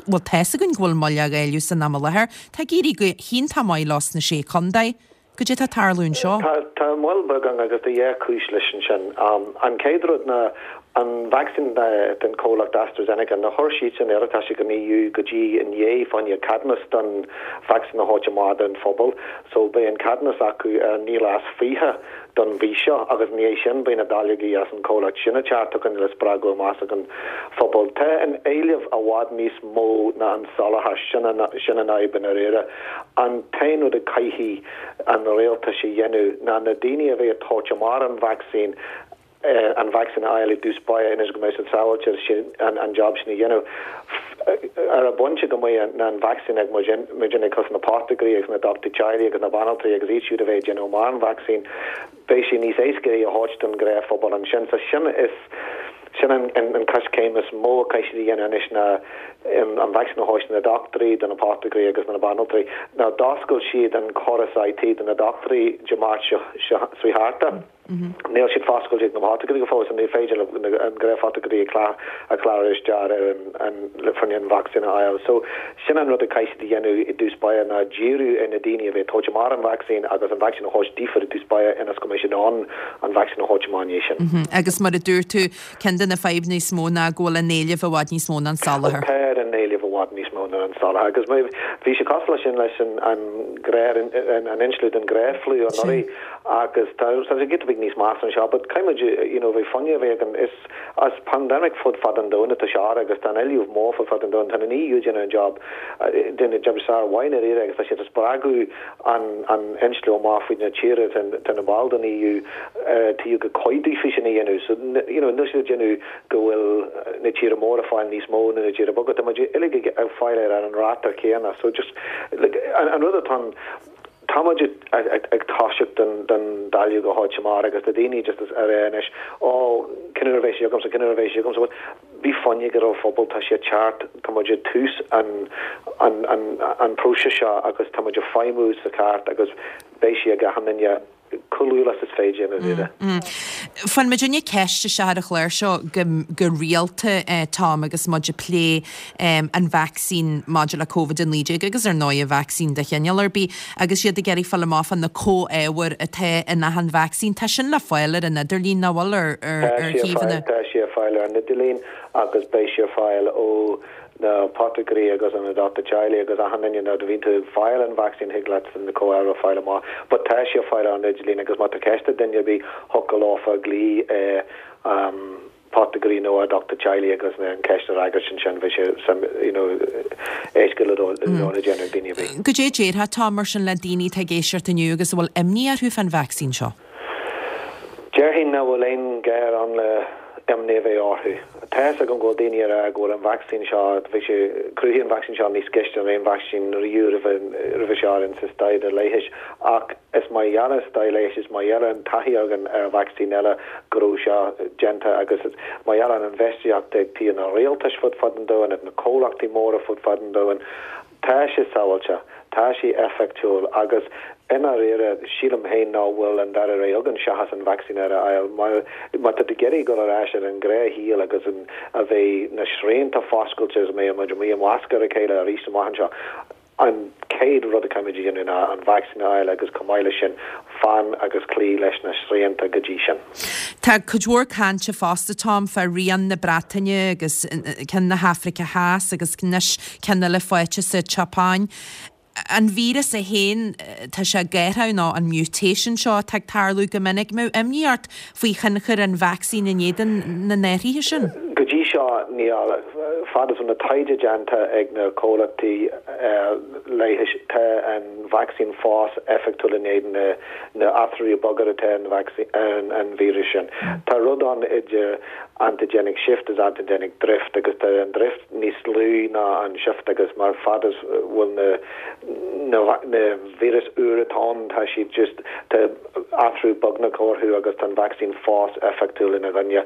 Bhuel, tá's againn go bhfuil moill á dháileadh san am i láthair. Tá ag éirí go hiontach maith leo sna Sé Chontae. Cad é atá ag tarlú anseo? Tá tá moill beag ann agus tá dhá chúis leis ansin. An chéad rud ná an vacsaín den chomhlacht AstraZeneca, nár chuir siadsan iarratas chuig an EU go dtí inné fá choinne ceadúnas don vacsaín a thabhairt amach don phobal. So beidh an ceadúnas acu ar naoi lá is fiche don mhí seo agus ina dhiaidh sin beidh na dáileogaí as an chomhlacht sin ag teacht chugainn le spreagadh i measc an phobail. Tá an éileamh i bhfad níos mó ná an soláthar, sin an sin an fhadhb i ndáiríre. An t-aon rud a chaithfidh an rialtas a dhéanamh ná na daoine a bheidh ag tabhairt amach an vacsaín an vacsaín a fháil i dtús báire ionas go mbeidh siad sábháilte an job sin a dhéanamh. Ar an bpointe go mbeidh an vacsaín ag muidinne cosúil na potagairí agus na dochtúirí teaghlaigh agus na banaltraí agus iad siúd a bheidh ag déanamh amach an vacsaín, beidh sé níos éasca é a thabhairt don ghnáthphobal ansin. So sin is sin an an coiscéim is mó a chaithfidh siad a dhéanamh anois ná an vacsaín a thabhairt do na dochtúirí, do na potagairí agus do na banaltraí. Now d'oscail siad an córas IT do na dochtúirí Dé Máirt seo seo thart. Níl siad foscailte ag na potagairí go fóill so ní féidir le an gnáthphotagairí a chlárú isteach ar an le fá choinne an vacsaín a fháil. So sin an rud a chaithfidh siad a dhéanamh i dtús báire ná díriú ar na daoine a bheidh ag tabhairt amach an vacsaín agus an vacsaín a thabhairt daofa i dtús báire ionas go mbeidh siad in ann an vacsaín a thabhairt amach ina dhiaidh sin. Agus mar a dúirt tú, ceann de na fadhbanna is mó ná go bhfuil an éileamh i bhfad níos mó ná an soláthar. Tá an éileamh i bhfad níos mó ná an soláthar agus bhí sé cosúil leis sin leis an an an insliú den ghnáth-fhliú anuraidh agus tá sé giota beag níos measa anseo but caithfidh muid you know bheith foighne a bheith againn is as pandemic fud fad an domhain atá seo agus tá an éileamh mór fud fad an domhain tá an EU déanamh an job déanamh job sár-mhaith i ndáiríre agus tá siad ag spreagadh an an insliú amach faoi na tíortha atá ina ball den EU taobh go cuidiú faoi sin a dhéanamh so you know níl siad ag déanamh go bhfuil na tíortha móra ag fáil níos mó ná na tíortha beaga tá muid uilig ag fáil ar an ráta céanna so just like an rud atá Tá muid ag toiseacht don dáileog a thabhairt amach agus tá daoine just ag rá anois, ó, cén uair a bheidh sé agamsa, cén uair a bheidh sé agamsa. Bhuel, bí foighneach ar an phobal, tá sé ag teacht, tá muid ag tús an an próiseas seo agus tá muid ag feidhmiú sa cheart agus beidh sé ag achan duine chomh luath is féidir i ndáiríre. Faigheann muidinne ceist isteach ar an chlár seo go rialta, Tom, agus muid ag plé an vacsaín maidir le Covid a naoi déag agus ar ndóigh an vacsaín de chineál ar bith agus iad ag iarraidh fáil amach fá na comhábhair atá in achan vacsaín. Tá sin le fáil ar an idirlíon, nach bhfuil, ar shuíomhanna? Tá sé ar fáil ar an idirlíon agus beidh sé ar fáil ó na potagairí agus an dochtúir teaghlaigh agus achan duine nuair a bhíonn tú ag fáil an vacsaín thig leat na comhábhair a fáil amach but tá sé ar fáil ar an idirlíon agus má tá ceist ag duine ar bith thiocfadh leofa glaoch ar potagairí nó ar dochtúir teaghlaigh agus an ceist a fhreagairt ansin bheadh sé some you know éasca le le déanamh ag daoine ar bith. Goidé a déarfá Tom mar sin le daoine atá ag éisteacht inniu agus a bhfuil imní orthu fán vacsaín seo? Déarfainn nach bhfuil aon ghá ann le imní a bheith orthu. Tá fhios agam go bhfuil daoine ag rá go bhfuil an vacsaín seo, bhí sé, cruthaíodh an vacsaín seo níos gaiste ná aon vacsaín riamh roimhe, roimhe seo ar an sa staidéar leighis. Ach is mar gheall ar an staidéar leighis, is mar gheall ar an taithí againn ar vacsaín eile go raibh seo déanta agus is mar gheall ar an infheistíocht ag taobh na rialtais fud fad an domhain, ag na comhlachtaí móra fud fad an domhain, Tá sé sábháilte, tá sé eifeachtúil agus i ndáiríre, sílim féin nach bhfuil an dara rogha againn seachas an vacsaín a fháil. Má tá tú ag iarraidh dul ar ais ar an ghnáthshaol agus a bheidh na srianta foscailte agus a mbeidh muid amuigh i measc ar a chéile arís amach anseo, an chéad rud a chaithfimid a dhéanamh ná an vacsaín a fháil agus chomh maith leis sin, fan agus cloí leis na srianta go dtí sin. Tá cuid mhór cainte fosta, Tom, fá rian na Breataine agus ceann na hAfraice Theas agus anois ceann eile faighte sa tSeapáin. An víreas é féin, tá sé ag athrú nó an mutation seo atá ag tarlú go minic. An mbeadh imní ort faoi thionchar an vacsaín in éadan na n-athruithe sin? Go dtí seo níl. Fad is na taighde déanta ag na comhlachtaí leighis, tá an vacsaín fós éifeachtúil in éadan na na athruithe beaga atá an an víreas sin. Tá rud ann idir antigenic shift is antigenic drift agus tá an drift níos lú ná an shift agus mar fad is bhfuil na na na víreas úr atá ann tá siad just tá athrú beagnach orthu agus tá an vacsaín fós éifeachtúil ina gcoinne.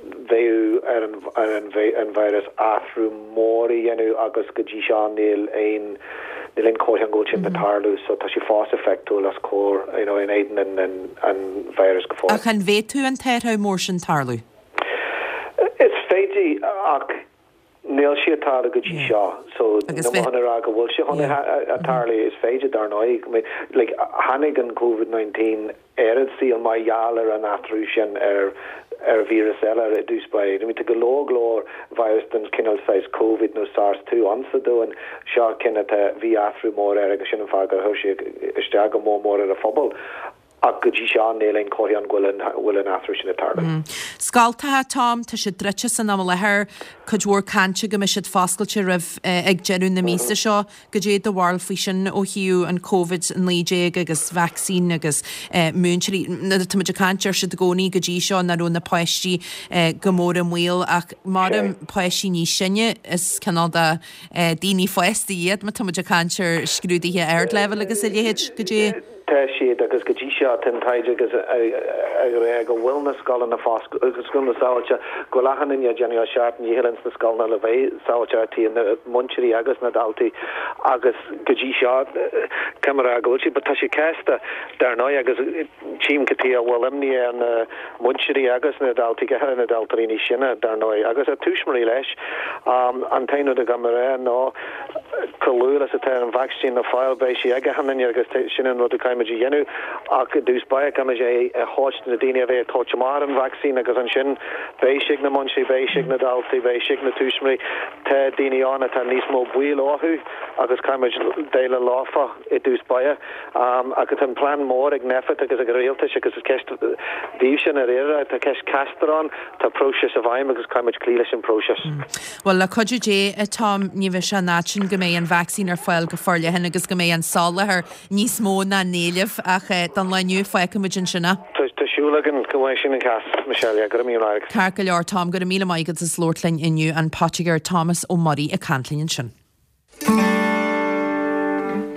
Bheadh ar an ar an an víreas athrú mór a dhéanamh agus go dtí seo níl aon níl aon chomhartha go bhfuil sin ag tarlú so tá sé fós éifeachtúil as cóir you know, in éadan an, an, an víreas go fóill. Ach an bhféadfadh an t-athrú mór sin tarlú? Is féidir ach níl sé ag tarlú go dtí seo so Agus níl mé chun a rá go bhfuil sé chun a tarlú is féidir dar ndóigh like tháinig an COVID nineteen ar an saol mar gheall ar an athrú sin ar ar víreas eile i dtús báire. I mean tá go leor go leor virus den cineál saghas COVID nó SARS two ann sa domhan seo ceann atá bhí athrú mór air agus sin an fáth gur chuir sé isteach go mór mór ar an phobal. Ach go dtí seo níl aon chomhartha ann go bhfuil an bhfuil an athrú sin ag tarlú. Scoltacha, Tom, tá siad druidte san am i láthair, cuid mhór cainte go mbeidh siad foscailte roimh ag deireadh na míosa seo. Goidé do bharúil faoi sin ó thaobh an Covid naoi déag agus vacsaín agus múinteoirí. Tá muid ag caint ar siad i gcónaí go dtí seo nach raibh na páistí go mór i mbaol ach mar páistí níos sine is cineál de daoine fásta iad má tá muid ag caint ar scrúduithe ardleibhéil agus a leithéid. Goidé. Tá siad agus go dtí seo tá an taighde agus ag rá go bhfuil na scoileanna scoileanna sábháilte, go bhfuil achan duine ag déanamh a seacht ndícheall ins na scoileanna le bheith sábháilte, na múinteoirí agus na daltaí agus go dtí seo caithfidh mé a rá go bhfuil siad, but tá sé casta dar ndóigh agus tchím cad chuige a bhfuil imní ar na múinteoirí agus na daltaí, go háirithe na daltaí níos sine dar ndóigh agus a tuismitheoirí leis. An t-aon rud a gcaithfidh mé a rá ná chomh luath is atá an vacsaín le fáil beidh sí ag achan duine agus sin an rud a caithfimid a dhéanamh ach i dtús báire caithfimid é a thabhairt do na daoine a bheidh ag tabhairt amach ar an vacsaín agus ansin beidh sé ag na múinteoirí, beidh sé ag na daltaí, beidh sé ag na tuismitheoirí. Tá daoine ann atá níos mó baol orthu agus caithfimid déileáil leofa i dtús báire. Ach tá an plean mór ag Nphet agus ag an rialtas agus is ceist daoibhse i ndáiríre, tá ceist casta ann, tá próiseas i bhfeidhm agus caithfimid cloí leis an bpróiseas. Bhuel, le cuidiú Dé, a Tom, ní bheidh sé an fhad sin go mbeidh an vacsaín ar fáil go forleathan agus go mbeidh an soláthar níos mó ná an éileamh ach don lá inniu fágfaimid ansin é. Tá súil againn go mbeidh sin an cás, Michelle, yeah, go raibh míle maith agat. Ceart go leor, Tom, go raibh míle maith agat as labhairt linn inniu, an Poitigéir Thomas Ó Muirí ag caint linn ansin.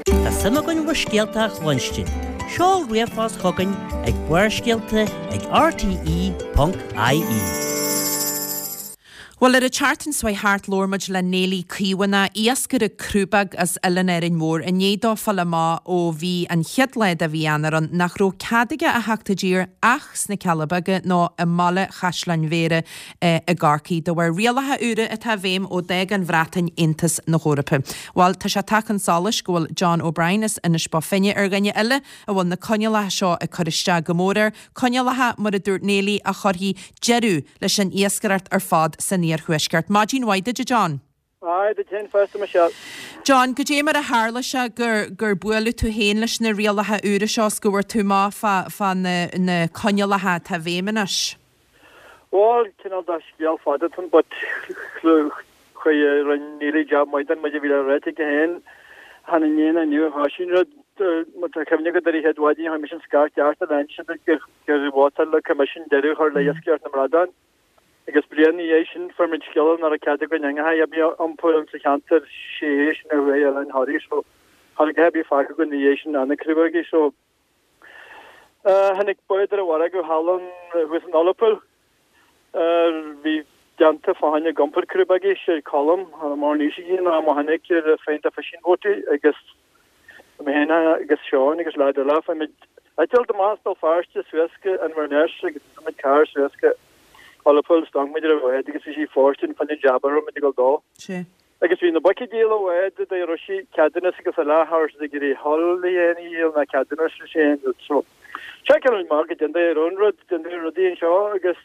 Tá suim againn bhur scéalta a chluinstin. Seol ríomhphost chugainn ag Barrscéalta ag rte ponc ie. Bhuel, ar an tseachtain seo thart labhair muid le Néilí Caomhánach, iascaire crúbóg as Oileán Árainn Mhór, i ndiaidh dó fáil amach ó bhí an chéad lá de mhí Eanáir ann nach raibh cead aige a theacht i dtír ach sna Cealla Beaga nó i mbaile Chaisleáin Bhéarra i gCorcaigh, de bharr rialacha úra atá i bhfeidhm ó d'fhág an Bhreatain Aontas na hEorpa. Bhuel, tá sé tagtha chun solais go bhfuil John O'Brien as Inis Bó Finne ar dhuine eile a bhfuil na coinníollacha seo ag cur isteach go mór air, coinníollacha, mar a dúirt Néilí, a chuirfidh deireadh leis an iascaireacht ar fad san iarthuaisceart. Maidin mhaith duit, a John. Aye, duit féin fosta, Michelle. John, goidé mar a tharla sé gur gur buaileadh tú féin leis na rialacha úra seo is go bhfuair tú amach fá fá na na coinníollacha atá i bhfeidhm anois? Bhuel, cineál de scéal fada atá ann, but chuir rinne Neilí jab maith den muid a bhí le ráite aici féin. Chan inné ná inniu a thoisigh an rud. Má tá cuimhne agat ar an chéad mhaidin, chuir mise an scairt ceart ar aon gur gur vótáil le Coimisiún deireadh a chur le iascaireacht na mbradán. Agus bliain ina dhiaidh sin fuair muid scéala nach raibh cead againn eangacha ar bith a iompar insa cheantar sé sin ar Bhaile Oileáin Thoraí so cha raibh a dhath ar bith fágtha againn ina dhiaidh sin ach na crúbógaí so tháinig bád ar an mhargadh thall ann thuas in Ullapool bhí déanta fá choinne ag iompar crúbógaí sé Colm cha raibh mórán aois aige ná mo tháinig ar féin de fishing boat agus mé féin agus Seán agus leaid eile fuair muid eitilt amach as Béal Feirste suas go Inverness agus fuair muid carr suas go Ullapool is d'amharc muid ar an bhád agus bhí sí fóirstean fá choinne jab a raibh muid ag dul dó. Sea. Agus bhí na boic ag díol an bháid a raibh sí ceadúnas agus uile cha raibh siad ag iarraidh hull a dhéanamh a dhíol ná ceadúnas leis aon rud so seiceáil muid amach goidé an dóigh a raibh an rud goidé an dóigh a raibh rudaí anseo agus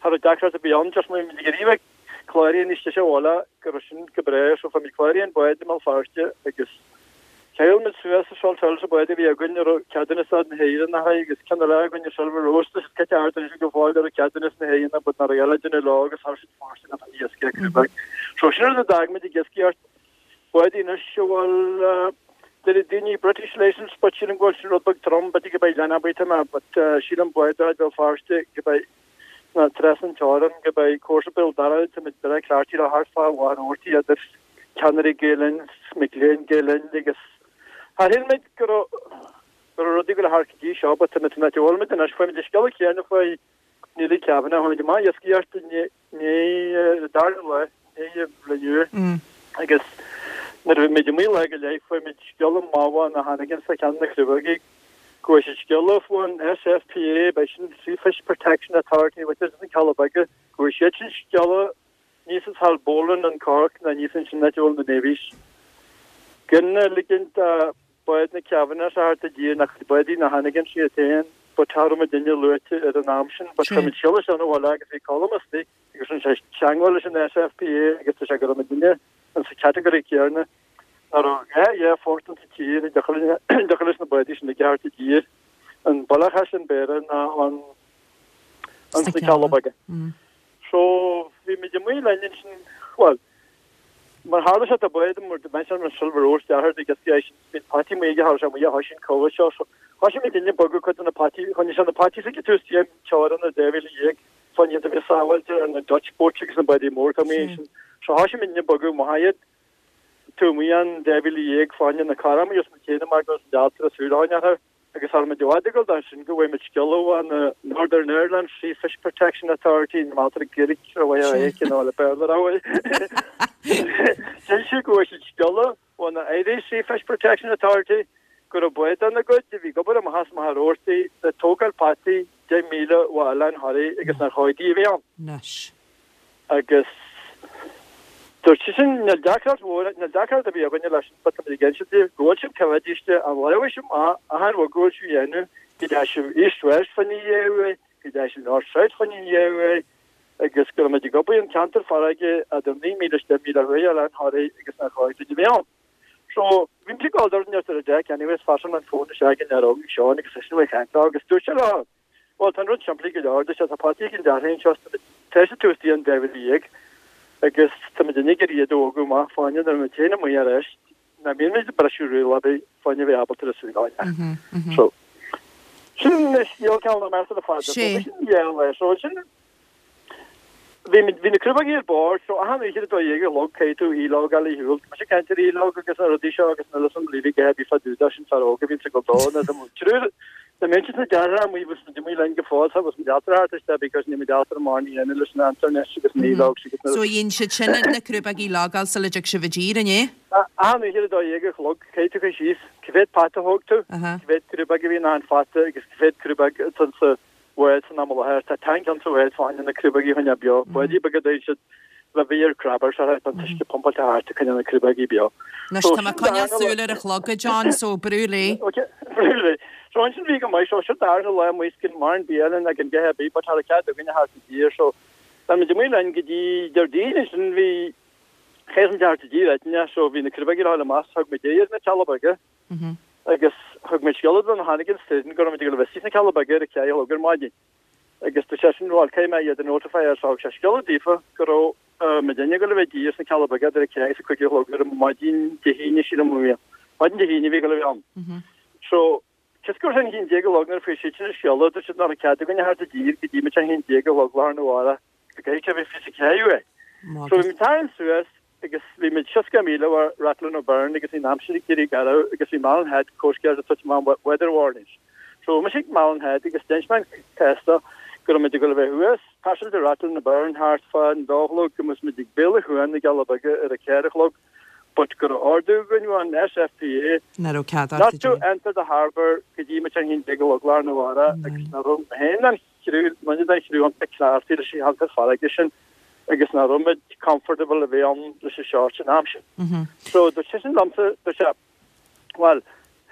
cha raibh deacracht ar bith ann just muid ag iarraidh bheith cláraithe níos deise abhaile go raibh sin go breá so fuair muid cláraithe an bád i mBéal Feirste agus cheil muid suas sa Sult Hill sa bád a bhí againn a raibh ceadúnas na hÉireann air agus ceann eile againn ar Silver Rose tá siad caite thart anois go fóill a raibh ceadúnas na hÉireann but nach raibh eile déanamh leo agus thar siad fóirstean an iascaigh a crúbaigh. So sin rud a d'fhág muid ag iascaireacht bádaí anois a bhfuil deir daoine British licence but sílim go bhfuil sin rud beag trom b'fhéidir go beidh lena bhaoth mé but sílim bád a Bhéal Feirste go beidh na trasna an teorainn go beidh cúrsa Béal Dara tá muid breá cleachtaithe le thart fá Mhachaire Rabhartaigh idir ceannairí Gael Linn mic léinn Gael Linn agus char shíl muid go raibh go raibh rudaí go le thart go dtí seo but tá muid san áit a bhfuil muid anois fuair muid an scéala céanna faoi Neily Kavanagh tháinig amach iascaireacht inné dara lá inné inniu agus nuair a bhí muid amuigh lá go leith fuair muid scéala maith ó na Hannigan sa cheann na crúbógaí go bhfuil siad scéala faoin SFPA beidh sin Sea Fish Protection Authority which is na Cealla Beaga go bhfuil siad sin scéala níos is Haulbowline an Cork na níos sin na bhfuil na Navies. Gan ligint báid na Kavanagh sa thart i dtír nach báidí na Hannigan siad féin ba tar muid duine luaite ar an am sin but chuir muid scéala sin abhaile agus bhí Colm istigh agus rinne sé teagmháil leis an SFPA agus tá sé go raibh muid duine an sa category céanna nach raibh dhá aerfort an tír i dtaca leis na báidí sin i gceart i dtír an Bealach sin Béarra ná an an sna Cealla Beaga. So bhí muid amuigh linn ansin well mar tharla sé tá bád mar mention an Silver Rose deartha agus bhí bhí pataí amuigh aige tharla sé amuigh a thoisigh an Covid seo so thoisigh muid duine bogadh cuid de na pataí choinnigh sé na pataí sa tús déan teorainn na dhá mhíle dhéag fá choinne a bheith sábháilte ar na Dutch boats agus na báidí mór tá amuigh ansin so thoisigh muid duine bogadh maith iad tú amuigh an dhá mhíle dhéag fá choinne na carranna amuigh os na céanna mar go raibh dealtra súil a choinneáil orthu agus thar muid i bhfad ag dul dá sin go bhfuil muid scéala ó na Northern Ireland Sea Fish Protection Authority na Malta Gaelic ar mhaith é cineál le Béarla ar mhaith. Deir sé go bhfuil siad scéala ó na Irish Sea Fish Protection Authority go raibh bád ina gcuid a bhí ag obair amach as Machaire Rabhartaigh le tógáil pataí deich míle ó Oileán Thoraí agus nár chóir di a bheith ann. Anois. Agus dúirt sé sin níl deacracht mhór níl deacracht ar bith againne leis but tá muid ag inse daoibh go bhfuil sibh coimhéadiste an labhrais amach achan rud go bhfuil sibh a dhéanamh go dteachaigh sibh east west fá choinne uaidh go dteachaigh sibh north south fá choinne uaidh agus go raibh muid ag obair an ceantar farraige idir naoi míle is deich míle thuaidh Oileán Thoraí agus nár chóir duit a bheith ann. So bhí muid ag dul ar an ar deck anyways phassáil an fón isteach in ar óg Seán agus eisean ag caint leo agus dúirt sé leo Well tá an rud simplí go leor dúirt sé tá pataí ag an deartháir anseo tá sé tús dtí an dhá mhíle dhéag agus tá muid ag iarraidh iad a bhogadh amach fá choinne nuair muid féin amuigh ar ais ná bíonn muid ag briseadh riail ar bith fá choinne a bheith ábalta a súil a So sin scéal ceann na measa le fada. So Sé. sin gheall leis. So sin bhí bhí na crúbógaí ar bord so achan oíche a dó dhéag a chlog caithfidh tú e-log a shiúl. Tá sé caint ar e-log agus na rudaí seo agus na leis an líbí go bhí fadúda sin fear óg a bhíonn sa go dó na triúr na mínte na deartha amuigh bhí muid amuigh linn go fóill tá bhí muid altar thart isteach because ní muid altar amháin a dhéanamh leis an internet agus na e-logs agus na So dhein siad sin na crúbógaí logáil sula dtig sibh i dtír, an é? Achan oíche a dó dhéag a chlog caithfidh tú cur síos cá mhéad pata thóg tú Aha. cá mhéad crúbóg a bhí in ann fata agus cá mhéad crúbóg atá sa bhád san am i láthair tá tank an sa bhád fá choinne na crúbógaí a choinneáil beo báidí beaga dúinn siad le bhí ar crabbers ar an t-uisce pumpáilte thart a choinneáil na crúbógaí beo. Anois So tá mé sin coinneáil darna súil ar an chlog a John, so brú léi. Okay, brú léi. So ansin bhí go maith so seo darna lá amuigh skin mar an bialann ag an gceatha bí but thar cead againne thart i dtír so Tá muid amuigh linn go dtí Déardaoin ansin bhí chéad an deart i dtír eitinne so bhí na crúbógaí le amach thug muid é ar na Cealla Beaga agus thug muid scéala don Hannigan Stadium go raibh muid ag dul a bheith sna Cealla Beaga ar a ceathair a chlog ar maidin. Agus tá sé sin bhfuil cé mé iad an notify ar so sé scéala daofa go raibh muid ag dul a bheith i dtír sna Cealla Beaga ar a ceathair is a cúig a chlog ar maidin Dé hAoine sílim a bhí. Maidin Dé hAoine bhí go bheith ann. So Cos gur sin haon déag a chlog nuair a fuair siad sin an scéala dúirt siad nach raibh cead againne thart i dtír go dtí muid a haon déag a chlog lá arna mhárach go gcaithfidh sé a bheith fiche a ceathair uaidh. So bhí muid tarraingt suas agus bhí muid seasca míle ó Rathlin O'Byrne agus bhí an aimsir ag éirí garbh agus bhí Malin Head Coast Guard ag tabhairt amach weather warnings. So bhí mise ag Malin Head agus d'inis mé an cás dó go raibh muid ag dul a bheith thuas, passáil de Rathlin O'Byrne thart fá an dó a chlog go mbeadh muid ag Béal an Chuain na gCealla Beaga ar a ceathair a chlog, but go raibh ordú againn ón SFPA Nach raibh cead not to enter the harbour go dtí muid a haon déag a chlog lá arna mhárach agus nach raibh mé féin an chriú muid den chriú an cleachtaithe leis an cheantar farraige sin agus nach raibh muid comfortable a bheith ann leis an seort sin am sin. So dúirt sé sin liomsa dúirt sé well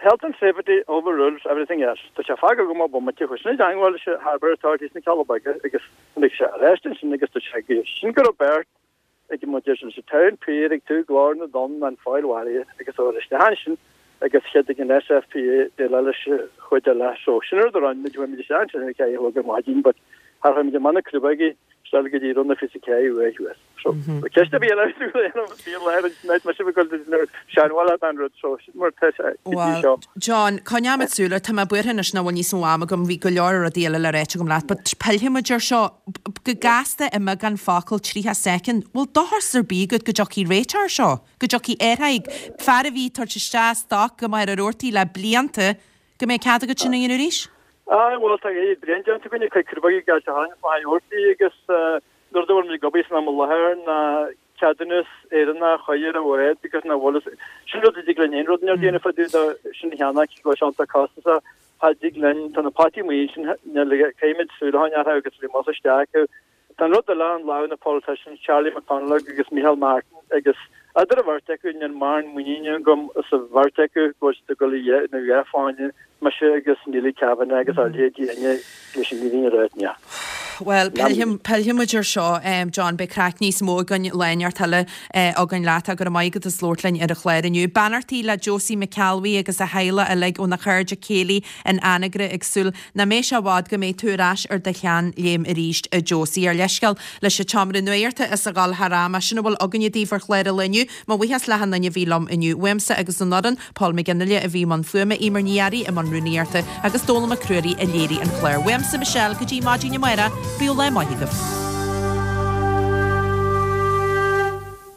health and safety overrules everything else. Tá sé fág go má bomaite chuis na dteangmháil leis Harbour Authorities na Cealla Beaga agus tháinig sé ar ais ansin agus dúirt sé go sin go raibh beirt ag mo deir sin sa town pier ag tú glór na dtonn an Fáil Mharaithe agus ó isteach ansin agus cheadaigh an SFPA déileáil leis an chuid eile so sin rud a rinne muid chuaigh muid isteach ansin ar a ceathair a chlog ar maidin but char chuaigh muid amach na crúbógaí isteach go dtí rud na fiche a ceathair uair thuas so ceist a bhí eile bhí leir an night mar sin go seanbhaile an rud so sin mar tá sé go dtí seo. John, coinneoimid súil air, tá mé buartha anois nach bhfuil níos mó ama agam, bhí go leor rudaí eile le ráit agam leat, but pillfidh muid air seo go gasta i mbeagán focal, tríocha soicind, bhfuil dóchas ar bith agat go dtiocfaidh réiteach air seo, go dtiocfaidh ar aghaidh, fear a bhí ag tabhairt isteach stoc go Machaire Rabhartaigh le blianta, go mbeidh cead agat sin a dhéanamh arís? Aye, bhuel tá bliain déanta againn ag cur crúbógaí ag gabháil isteach Machaire Rabhartaigh agus nuair a bhfuil muid ag obair san am i láthair ná ceadúnas Éireannach a chur ar an bhád agus nach bhfuil sin rud a dtig linn aon rud a dhéanamh fá dtaobh de sin cheana go bhfuil sé iontach costasach cha dtig linn tá na potaí amuigh ansin caithfimid súil a choinneáil orthu agus bhí mos isteach acu. Tá an rud eile an lámh na politicians Charlie McConalogue agus Micheál Martin agus idir an bheirt acu níl mórán muiníne agam sa bheirt acu go bhfuil siad ag dul a dhéanamh a dhath fá choinne mise agus Neily Kavanagh agus a leithéidí inné leis an bhfírinne a ráit ní. Bhuel, pillfidh muid ar seo, John, beidh craic níos mó againn lá inteacht eile againn leat. Go raibh maith agat as labhairt linn ar an chlár inniu. Beannachtaí le Josie McAlwee agus a theaghlach uilig óna chairde céilí in Anagaire ag súil nach mbeidh sé i bhfad go mbeidh tú ar ais ar do sheanléim arís, a Josie. Ár leithscéal leis an tseomra nuachta as a dhul thar am. Sin a bhfuil againne daoibh ar chlár an lae inniu. Mo bhuíochas le achan duine a bhí liom inniu. Uaimse agus an fhoireann, Paul McGinley a bhí i mbun fuaime, Eimear Ní Fhearraigh i mbun rúnaíochta agus Dónall Mac Ruairí a léirigh an clár. Uaimse Michelle go dtí maidin amárach, bíodh lá maith agaibh.